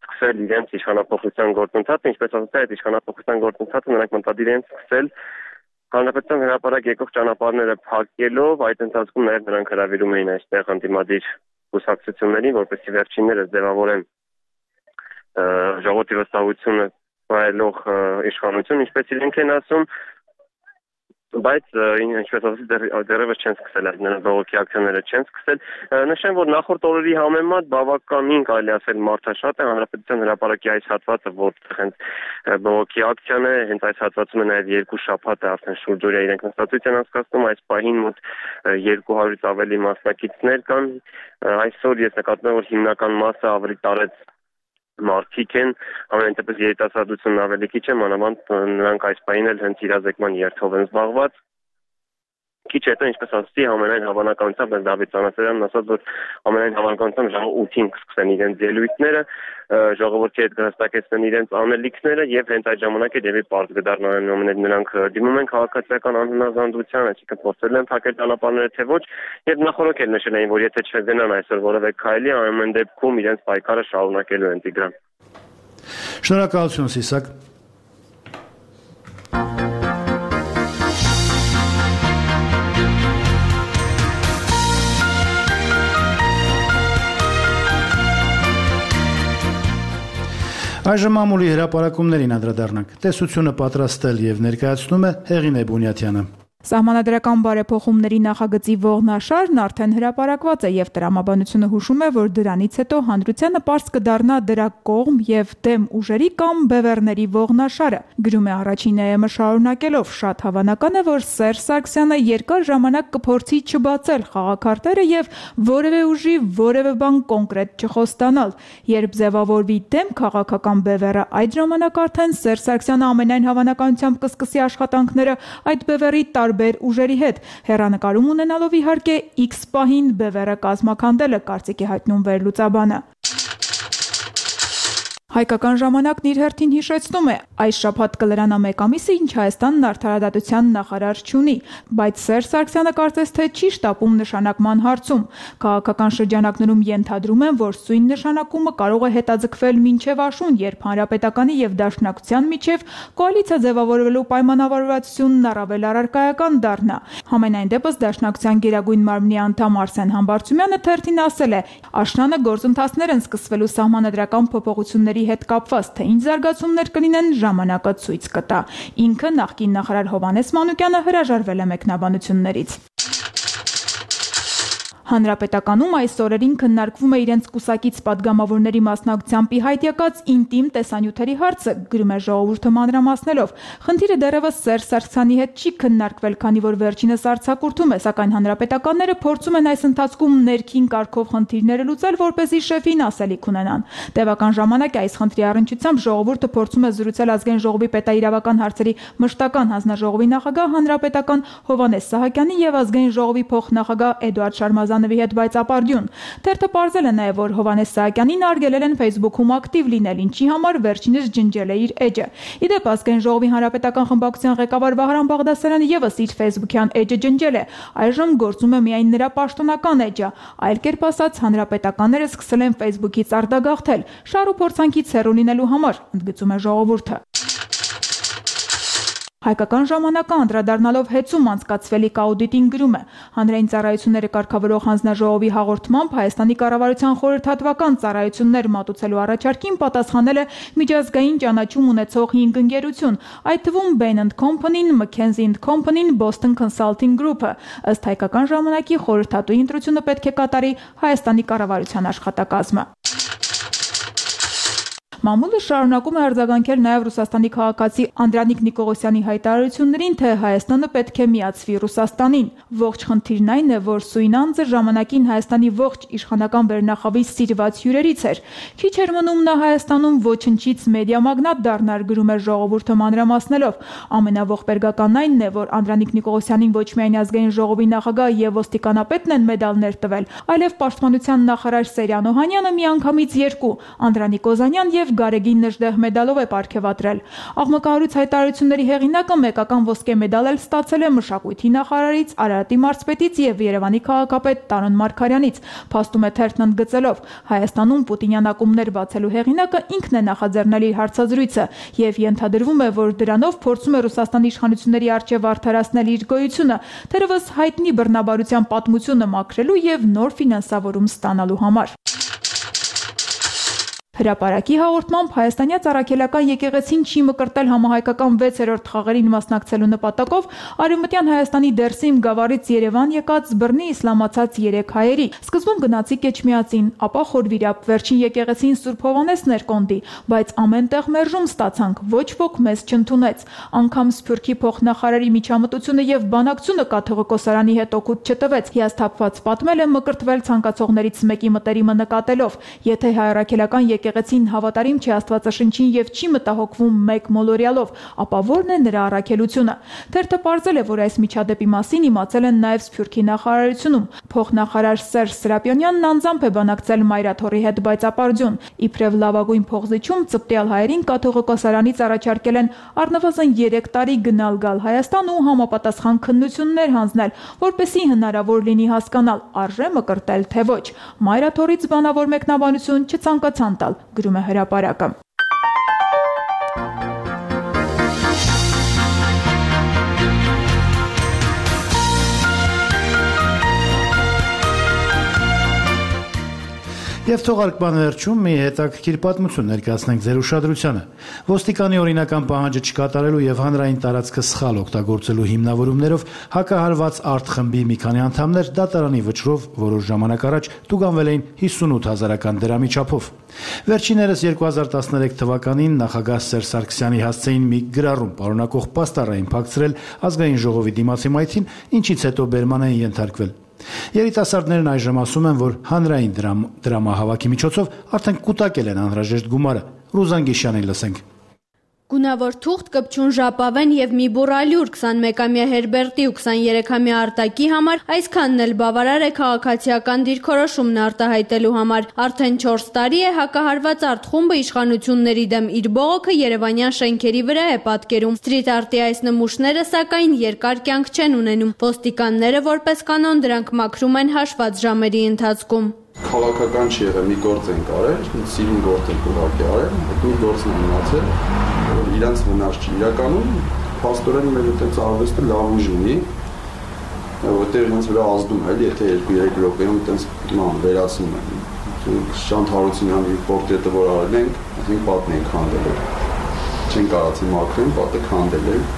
սկսել իրենց իշխանապողության գործընթացը, ինչպես ասացի, այդ իշխանապողության գործընթացը նրանք մտադիր են սկսել Հանրապետության հրապարակ եկող ճանապարհները փակելով, այդ ընթացքում նաև նրանք հրավիրում էին այստեղ ընդդիմադիր կուսակցություններին, որպեսզի վերջիններս ձևավորեն ժողովրդի վստահությունը վայելող իշխանություն, ինչպես իրենք են ասում, բայց ինչպես ասացի դեռևս չեն սկսել այդ բողոքի ակցիաները չեն սկսել։ Նշեմ, որ նախորդ օրերի համեմատ բավականին կարելի ասել մարդաշատ է հանրապետության հրապարակի այս հատվածը, որտեղ հենց բողոքի ակցիան է, հենց այս հատվածում է նաև երկու շաբաթ է արդեն շուրջօրյա իրենք նստածույց են անցկացնում, այս պահին մոտ երկու հարյուրից ավելի մասնակիցներ կան։ Այսօր ես նկատում եմ, որ հիմնական մասը ավելի տարեց մարդիկ են, ամեն դեպս երիտասարդությունն ավելի քիչ է, մանավանդ նրանք այս պահին էլ հենց իրազեկման երթով են զբաղված։ Քիչ հետո, ինչպես ասացի, ամենայն հավանականությամբ Դավիթ Ծանասարյանն ասաց, որ ամենայն հավանականությամբ ժամը ութին կսկսեն իրենց ելույթները, ժողովրդի հետ կհստակեցնեն իրենց անելիքները եւ հենց այդ ժամանակ էլ եւի պարզ կդառնա այնուամենայնիվ նրանք դիմում են քաղաքացիական անհնազանդության, այսինքն փորձել են փակել ճանապարհները թե ոչ, եւ նախորդ էլ նշել էին, որ եթե չգնան այսօր որևէ քայլի, ամեն դեպքում իրենց պայքարը շարունակելու են Տիգրան։ Շնորհակալություն Սիսակ։ Այժմ ամուլի հրապարակումներին անդրադառնանք։ Տեսությունը պատրաստել եւ ներկայացնում է Հեղինե Բունյաթյանը։ Սահմանադրական բարեփոխումների նախագծի ողնաշարն արդեն հրապարակված է եւ տրամաբանությունը հուշում է, որ դրանից հետո հանրությանը պարզ կդառնա դրա կողմ եւ դեմ ուժերի կամ բևեռների ողնաշարը։ Գրում է առաջին ԵՄ շարունակելով, շատ հավանական է, որ Սերժ Սարգսյանը երկար ժամանակ կփորձի չբացել խաղաքարտերը եւ որևէ ուժի որևէ բան կոնկրետ չխոստանալ։ Երբ ձևավորվի դեմ քաղաքական բևեռը, այդ ժամանակ արդեն Սերժ Սարգսյանը ամենայն հավանականությամբ կսկսի աշխատանքները այդ բևեռի տարբեր ուժերի հետ, հեռանկարում ունենալով իհարկե X պահին բևեռը կազմաքանդելը, կարծիք է հայտնում վերլուծաբանը։ Հայկական ժամանակն իր հերթին հիշեցնում է, այս շաբաթ կլրանա մեկ ամիսը, ինչ Հայաստանն արդարադատության նախարար չունի, բայց Սերժ Սարգսյանը կարծես թե չի շտապում նշանակման հարցում։ Քաղաքական շրջանակներում ենթադրում են, որ սույն նշանակումը կարող է հետաձգվել մինչև աշուն, երբ Հանրապետականի եւ Դաշնակցության միջև կոալիցիա ձևավորվելու պայմանավորվածությունն առավել առարկայական դառնա։ Համենայն դեպս Դաշնակցության գերագույն մարմնի անդամ Արսեն Համբարձումյանը թերթին ասել է. «Աշնանը գործընթացներ են սկսվելու սահմանադրական փոփոխությունների հետ կապված, թե ինչ զարգացումներ կլինեն, ժամանակը ցույց կտա»։ Ինքը նախկին նախարար Հովհաննես Մանուկյանը հրաժարվել է մեկնաբանություններից։ Հանրապետականում այս օրերին քննարկվում է իրենց կուսակից падգամավորների մասնակցությամբ ի հայտ եկած ինտիմ տեսանյութերի հարցը, գրում է Ժողովուրդը մանրամասնելով։ Խնդիրը դեռևս Սերժ Սարգսյանի հետ չի քննարկվել, քանի որ վերջինս արձակուրդում է, սակայն հանրապետականները փորձում են այս ընթացքում ներքին կարգով խնդիրները լուծել, որպեսզի շեֆին ասելիք ունենան։ Տևական ժամանակ է այս խնդրի առնչությամբ Ժողովուրդը փորձում է զրուցել Ազգային ժողովի պետաիրավական հարցերի մշտական հանձնաժողովի նախագահ հանրապետական Հովհաննես Սահակյանի եւ Ազգային ժողովի փոխնախագահ Էդուարդ Շարմազանովի հետ, բայց ապարդյուն։ Թերթը պարզել է նաև, որ Հովհաննես Սահակյանին արգելել են Facebook-ում ակտիվ լինել, ինչի համար վերջինս ջնջել է իր էջը։ Իդեպ Ազգային ժողովի հանրապետական խմբակցության ղեկավար Վահրամ Բաղդասարյանը եւս իր Facebook-յան էջը ջնջել է։ Այժմ գործում է միայն նրա պաշտոնական էջը։ Այլ կերպ ասած, հանրապետականները սկսել են Facebook-ից արտագաղթել, շահ ու փորձանքից հեռու լինելու համար, ընդգծում է Ժողովուրդը։ Հայկական ժամանակը անդրադառնալով հեծում անցկացվելիք աուդիտին գրում է. հանրային ծառայությունները կարգավորող հանձնաժողովի հաղորդմամբ Հայաստանի կառավարության խորհրդատվական ծառայություններ մատուցելու առաջարկին պատասխանել է միջազգային ճանաչում ունեցող հինգ ընկերություն, այդ թվում Bain and Company-ն, McKinsey and Company-ն, Boston Consulting Group-ը։ Ըստ հայկական ժամանակի խորհրդատուի ընտրությունը պետք է կատարի Հայաստանի կառավարության աշխատակազմը։ Մամուլը շարունակում է արձագանքել նաև Ռուսաստանի քաղաքացի Անդրանիկ Նիկողոսյանի հայտարարություններին, թե Հայաստանը պետք է միացվի Ռուսաստանին։ Ողջ խնդիրն այն է, որ սույն անձը ժամանակին Հայաստանի ողջ իշխանական վերնախավի սիրված հյուրերից էր։ Քիչ էր մնում նա Հայաստանում ոչնչից մեդիա մագնատ դառնար, գրում է Ժողովուրդը մանրամասնելով։ Ամենաողբերգականն այն է, որ Անդրանիկ Նիկողոսյանին ոչ միայն Ազգային ժողովի նախագահ եւ ոստիկանապետն են մեդալներ տվել, այլև Պաշտպանության նախարար Սերյան Օհանյանը միանգամից երկու՝ Անդրանիկ Օզանյան եւ Գարեգին Նժդեհ մեդալով է պարգևատրել։ Աղմկահարույց հայտարարությունների հեղինակը մեկական ոսկե մեդալ էլ ստացել է մշակույթի նախարարից, Արարատի մարզպետից եւ Երևանի քաղաքապետ Տարոն Մարգարյանից, փաստում է թերթն ընդգծելով. Հայաստանում պուտինյան ակումբներ բացելու հեղինակը ինքն է նախաձեռնել իր հարցազրույցը եւ ենթադրվում է, որ դրանով փորձում է Ռուսաստանի իշխանությունների առջեւ արդարացնել իր գոյությունը, թերևս հայտնի բռնաբարության պատմությունը մաքրելու եւ նոր ֆինանսավորում ստանալու համար։ Հրապարակի հաղորդմամբ հայաստանյաց առաքելական եկեղեցին չի մկրտել համահայկական վեցերորդ խաղերին մասնակցելու նպատակով Արևմտյան Հայաստանի Դերսիմ գավառից Երևան եկած բռնի իսլամացած երեք հայերի։ Սկզբում գնացիկ Էջմիածին, ապա Խորվիրապ, վերջին եկեղեցին Սուրբ Հովհաննեսն էր կոնդի, բայց ամենտեղ մերժում ստացանք, ոչ ոք մեզ չընդունեց։ Անգամ Սփյուռքի փոխնախարարի միջամտությունը եւ բանակցությունը կաթողիկոսարանի հետ օգուտ չտվեց։ Հիասթափված պատմել է մկրտվել ցանկացողներից մեկի մտերիմը նկատելով, եթե հայ առաքելական եկեղեցին հավատարիմ չի Աստվածաշնչին եւ չի մտահոգվում մեկ մոլորյալով, ապա ո՞րն է նրա առաքելությունը։ Թերթը պարզել է, որ այս միջադեպի մասին իմացել են նաեւ Սփյուռքի նախարարությունում։ Փոխնախարար Սերժ Սրապյոնյանն անձամբ է բանակցել Մայրաթորի հետ, բայց ապարդյուն։ Իբրև լավագույն փողզիչում ծպտյալ հայերին կաթողիկոսարանից առաջարկել են առնվազն երեք տարի գնալ գալ Հայաստան ու համապատասխան քննություններ հանձնել, որպեսզի հնարավոր լինի հասկանալ արժե մկրտել թե ոչ։ Մայրաթորից բանավոր մեկնաբանություն չցանկացան տալ, գրում է Հրապարակը։ Եվ թողարկման վերջում մի հետաքրքիր պատմություն ներկայացնենք ձեր ուշադրությանը։ Ոստիկանի օրինական պահանջը չկատարելու եւ հանրային տարածքը սխալ օգտագործելու հիմնավորումներով հակահարված արտխմբի մի քանի անդամներ դատարանի վճռով որոշ ժամանակ առաջ տուգանվել էին հիսունութ հազարական դրամի չափով։ Վերջիններս երկու հազար տասներեք թվականին նախագահ Սերժ Սարգսյանի հասցեին մի գրառում պարունակող պաստառային փակցրել ազգային ժողովի դիմացի մայթին, ինչից հետո բերման են ենթարկվել։ Երիտասարդներն այժմ ասում են, որ հանրային դրամ, դրամահավաքի միջոցով արդեն կուտակել են անհրաժեշտ գումարը։ Ռուզան Գիշյանին լսենք։ Գունավոր թուղթ, կպչուն ժապավեն եւ մի բուռ ալյուր քսանմեկամյա Հերբերտի ու քսաներեքամյա Արտակի համար այսքանն էլ բավարար է քաղաքացիական դիրքորոշումն արտահայտելու համար։ Արդեն չորս տարի է հակահարված արտխումբը իշխանությունների դեմ իր բողոքը երևանյան շենքերի վրա է պատկերում։ Սթրիթ արտի այս նմուշները սակայն երկար կյանք չեն ունենում։ Ոստիկանները որպես կանոն դրանք մաքրում են հաշված ժամերի ընթացքում։ Քաղաքական չի եղել, մի գործ ենք արել, սիրուն գործ ենք ուղղակի արել, այդ մի գործն է մնացել, իրանց վնաս չի։ Իրականում փաստորեն մեր այդպես արվեստը լավ ուժ ունի, որտեղ իրենց վրա ազդում է, եթե երկու-երեք րոպեում այդպես ման վերացնում են։ Շանթ Հարությունյանի պորտրետը որ արել ենք, ասենք պատն ենք քանդել։ Չեն կարացի մաքրեն, պատը քանդել են։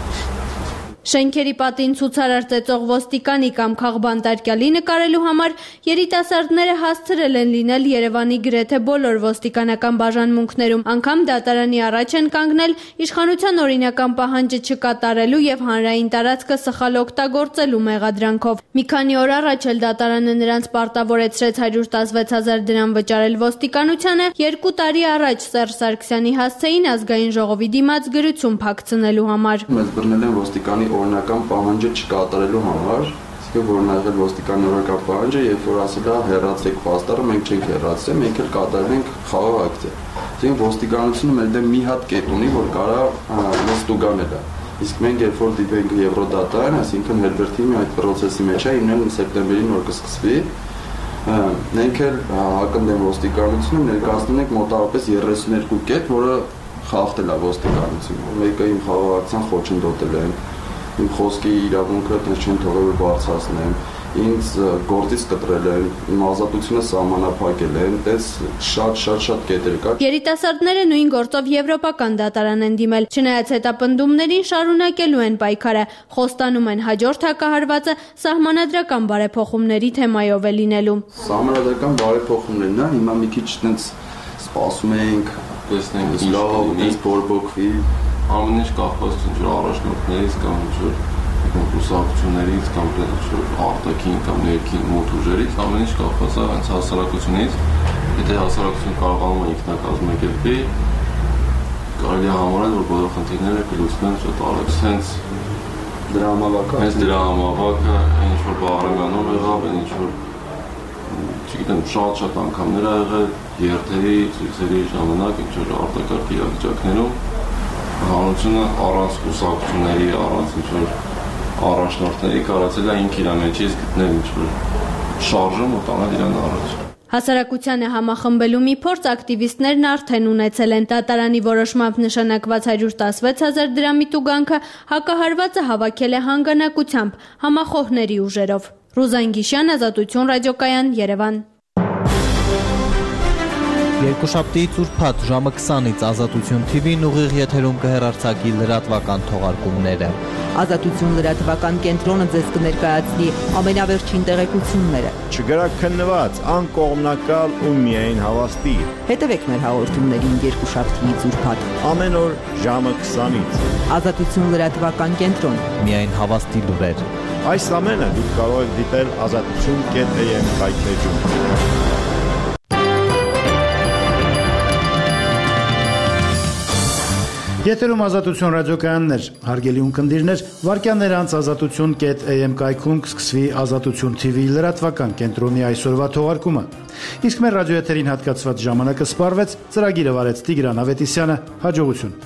Շենքերի պատին ցուցարար ծեծող ոստիկանի կամ քաղբանտարկյալի նկարելու համար երիտասարդները հասցրել են լինել Երևանի գրեթե բոլոր ոստիկանական բաժանմունքներում, անգամ դատարանի առաջ են կանգնել իշխանության օրինական պահանջը չկատարելու եւ հանրային տարածքը սխալ օգտագործելու մեղադրանքով։ Մի քանի օր առաջ էլ դատարանը նրանց պարտավորեցրեց հարյուր տասնվեց հազար դրամ վճարել ոստիկանությանը, երկու տարի առաջ Սերժ Սարգսյանի հասցեին ազգային ժողովի դիմաց գրություն փակցնելու համար։ Մեզ բռնել են ոստիկանի օրինական պահանջը չկատարելու համար, իսկ որ նախել ոստիկանի օրինական պահանջը, երբ որ ասել է հեռացեք պաստառը, մենք չենք հեռացել, մենք էլ կատարել ենք խաղաղ ակցիա։ Այսինքն ոստիկանությունը մեր դեմ մի հատ կետ ունի, որ կարա մեզ տուգանել է։ Իսկ մենք երբ որ դիպենք Եվրոդատան, այսինքն Հերբերտի մի այդ process-ի մեջ է, ինքն սեպտեմբերին որ կսկսվի, մենք էլ հակընդդեմ ոստիկանությունը ներկայացնում ենք մոտավորապես երեսունյոթ կետ, որը խախտել է ոստիկանությունը։ Մեկը իմ խաղաղ ակցիան խոչընդոտել են, իմ խոսքի իրավունքը դες չեն թողել որ բարձրացնեմ, ինձ գործից կտրել են, իմ ազատությունը սահմանափակել են, դες շատ-շատ-շատ կետեր կա։ Երիտասարդները նույն գործով եվրոպական դատարան են դիմել, չնայած հետապնդումներին շարունակելու են պայքարը, խոստանում են հաջորդ հակահարվածը սահմանադրական բարեփոխումների թեմայով է լինելու։ Սահմանադրական բարեփոխումներն է, հիմա մի քիչ տենց սպասում ենք, տեսնենք ինչ կլինի, փորբոքվի, ամեն ինչ կախված ինչ-որ առաջնորդներից կամ ինչ-որ կուսակցություններից կամ ինչ-որ արտաքին կամ ներքին մոտ ուժերից, ամեն ինչ կախված է հենց հասարակությունից, եթե հասարակությունը կարողանում է ինքնակազմակերպի, կարելի է համարել, որ բոլոր խնդիրները կլուծվեն շատ արագ, հենց դրա համավակը, հենց դրա համավակը, ինչ-որ բարեմանում եղավ, ինչ-որ չգիտեմ, շատ-շատ անգամներ ա եղել երթերի, ցույցերի ժամանակ ինչ-որ արտակարգ իրավիճակներում հանրությունը առանց կուսակցությունների, առանց ինչ-որ առաջնորդների կարացել է ինք իր մեջից գտնել ինչ-որ շարժում ու տանել իրան առաջ։ Հասարակությանը համախմբելու մի փորձ ակտիվիստներն արդեն ունեցել են։ Դատարանի որոշմամբ նշանակված հարյուր տասնվեց հազար դրամի տուգանքը հակահարվածը հավաքել է հանգանակությամբ համախոհների ուժերով։ Ռուզան Գիշյան, Ազատություն ռադիոկայան, Երևան։ Երկուշաբթի ծուրփաթ ժամը քսանից Ազատություն թի վին ուղիղ եթերում կհեռարձակի լրատվական թողարկումները։ Ազատություն լրատվական կենտրոնը ձեզ կներկայացնի ամենավերջին տեղեկությունները։ Չգրաքննված, անկողմնակալ ու միայն հավաստի։ Հետևեք մեր հաղորդումներին երկուշաբթի ծուրփաթ ամեն օր ժամը քսանից։ Ազատություն լրատվական կենտրոն։ Միայն հավաստի լուրեր։ Այս ամենը դուք կարող եք դիտել ազատություն կետ էյ էմ կայքեջում։ Եթերում Ազատություն ռադիոկայաններ, հարգելի ունկնդիրներ, վարքյաններ անց ազատություն կետ էյ էմ կայքում կսկսվի Ազատություն թի վի լրատվական կենտրոնի այսօրվա թողարկումը։ Իսկ մեր ռադիոեթերին հատկացված ժամանակը սպառվեց, ծրագիրը վարեց Տիգրան Ավետիսյանը, հաջողություն։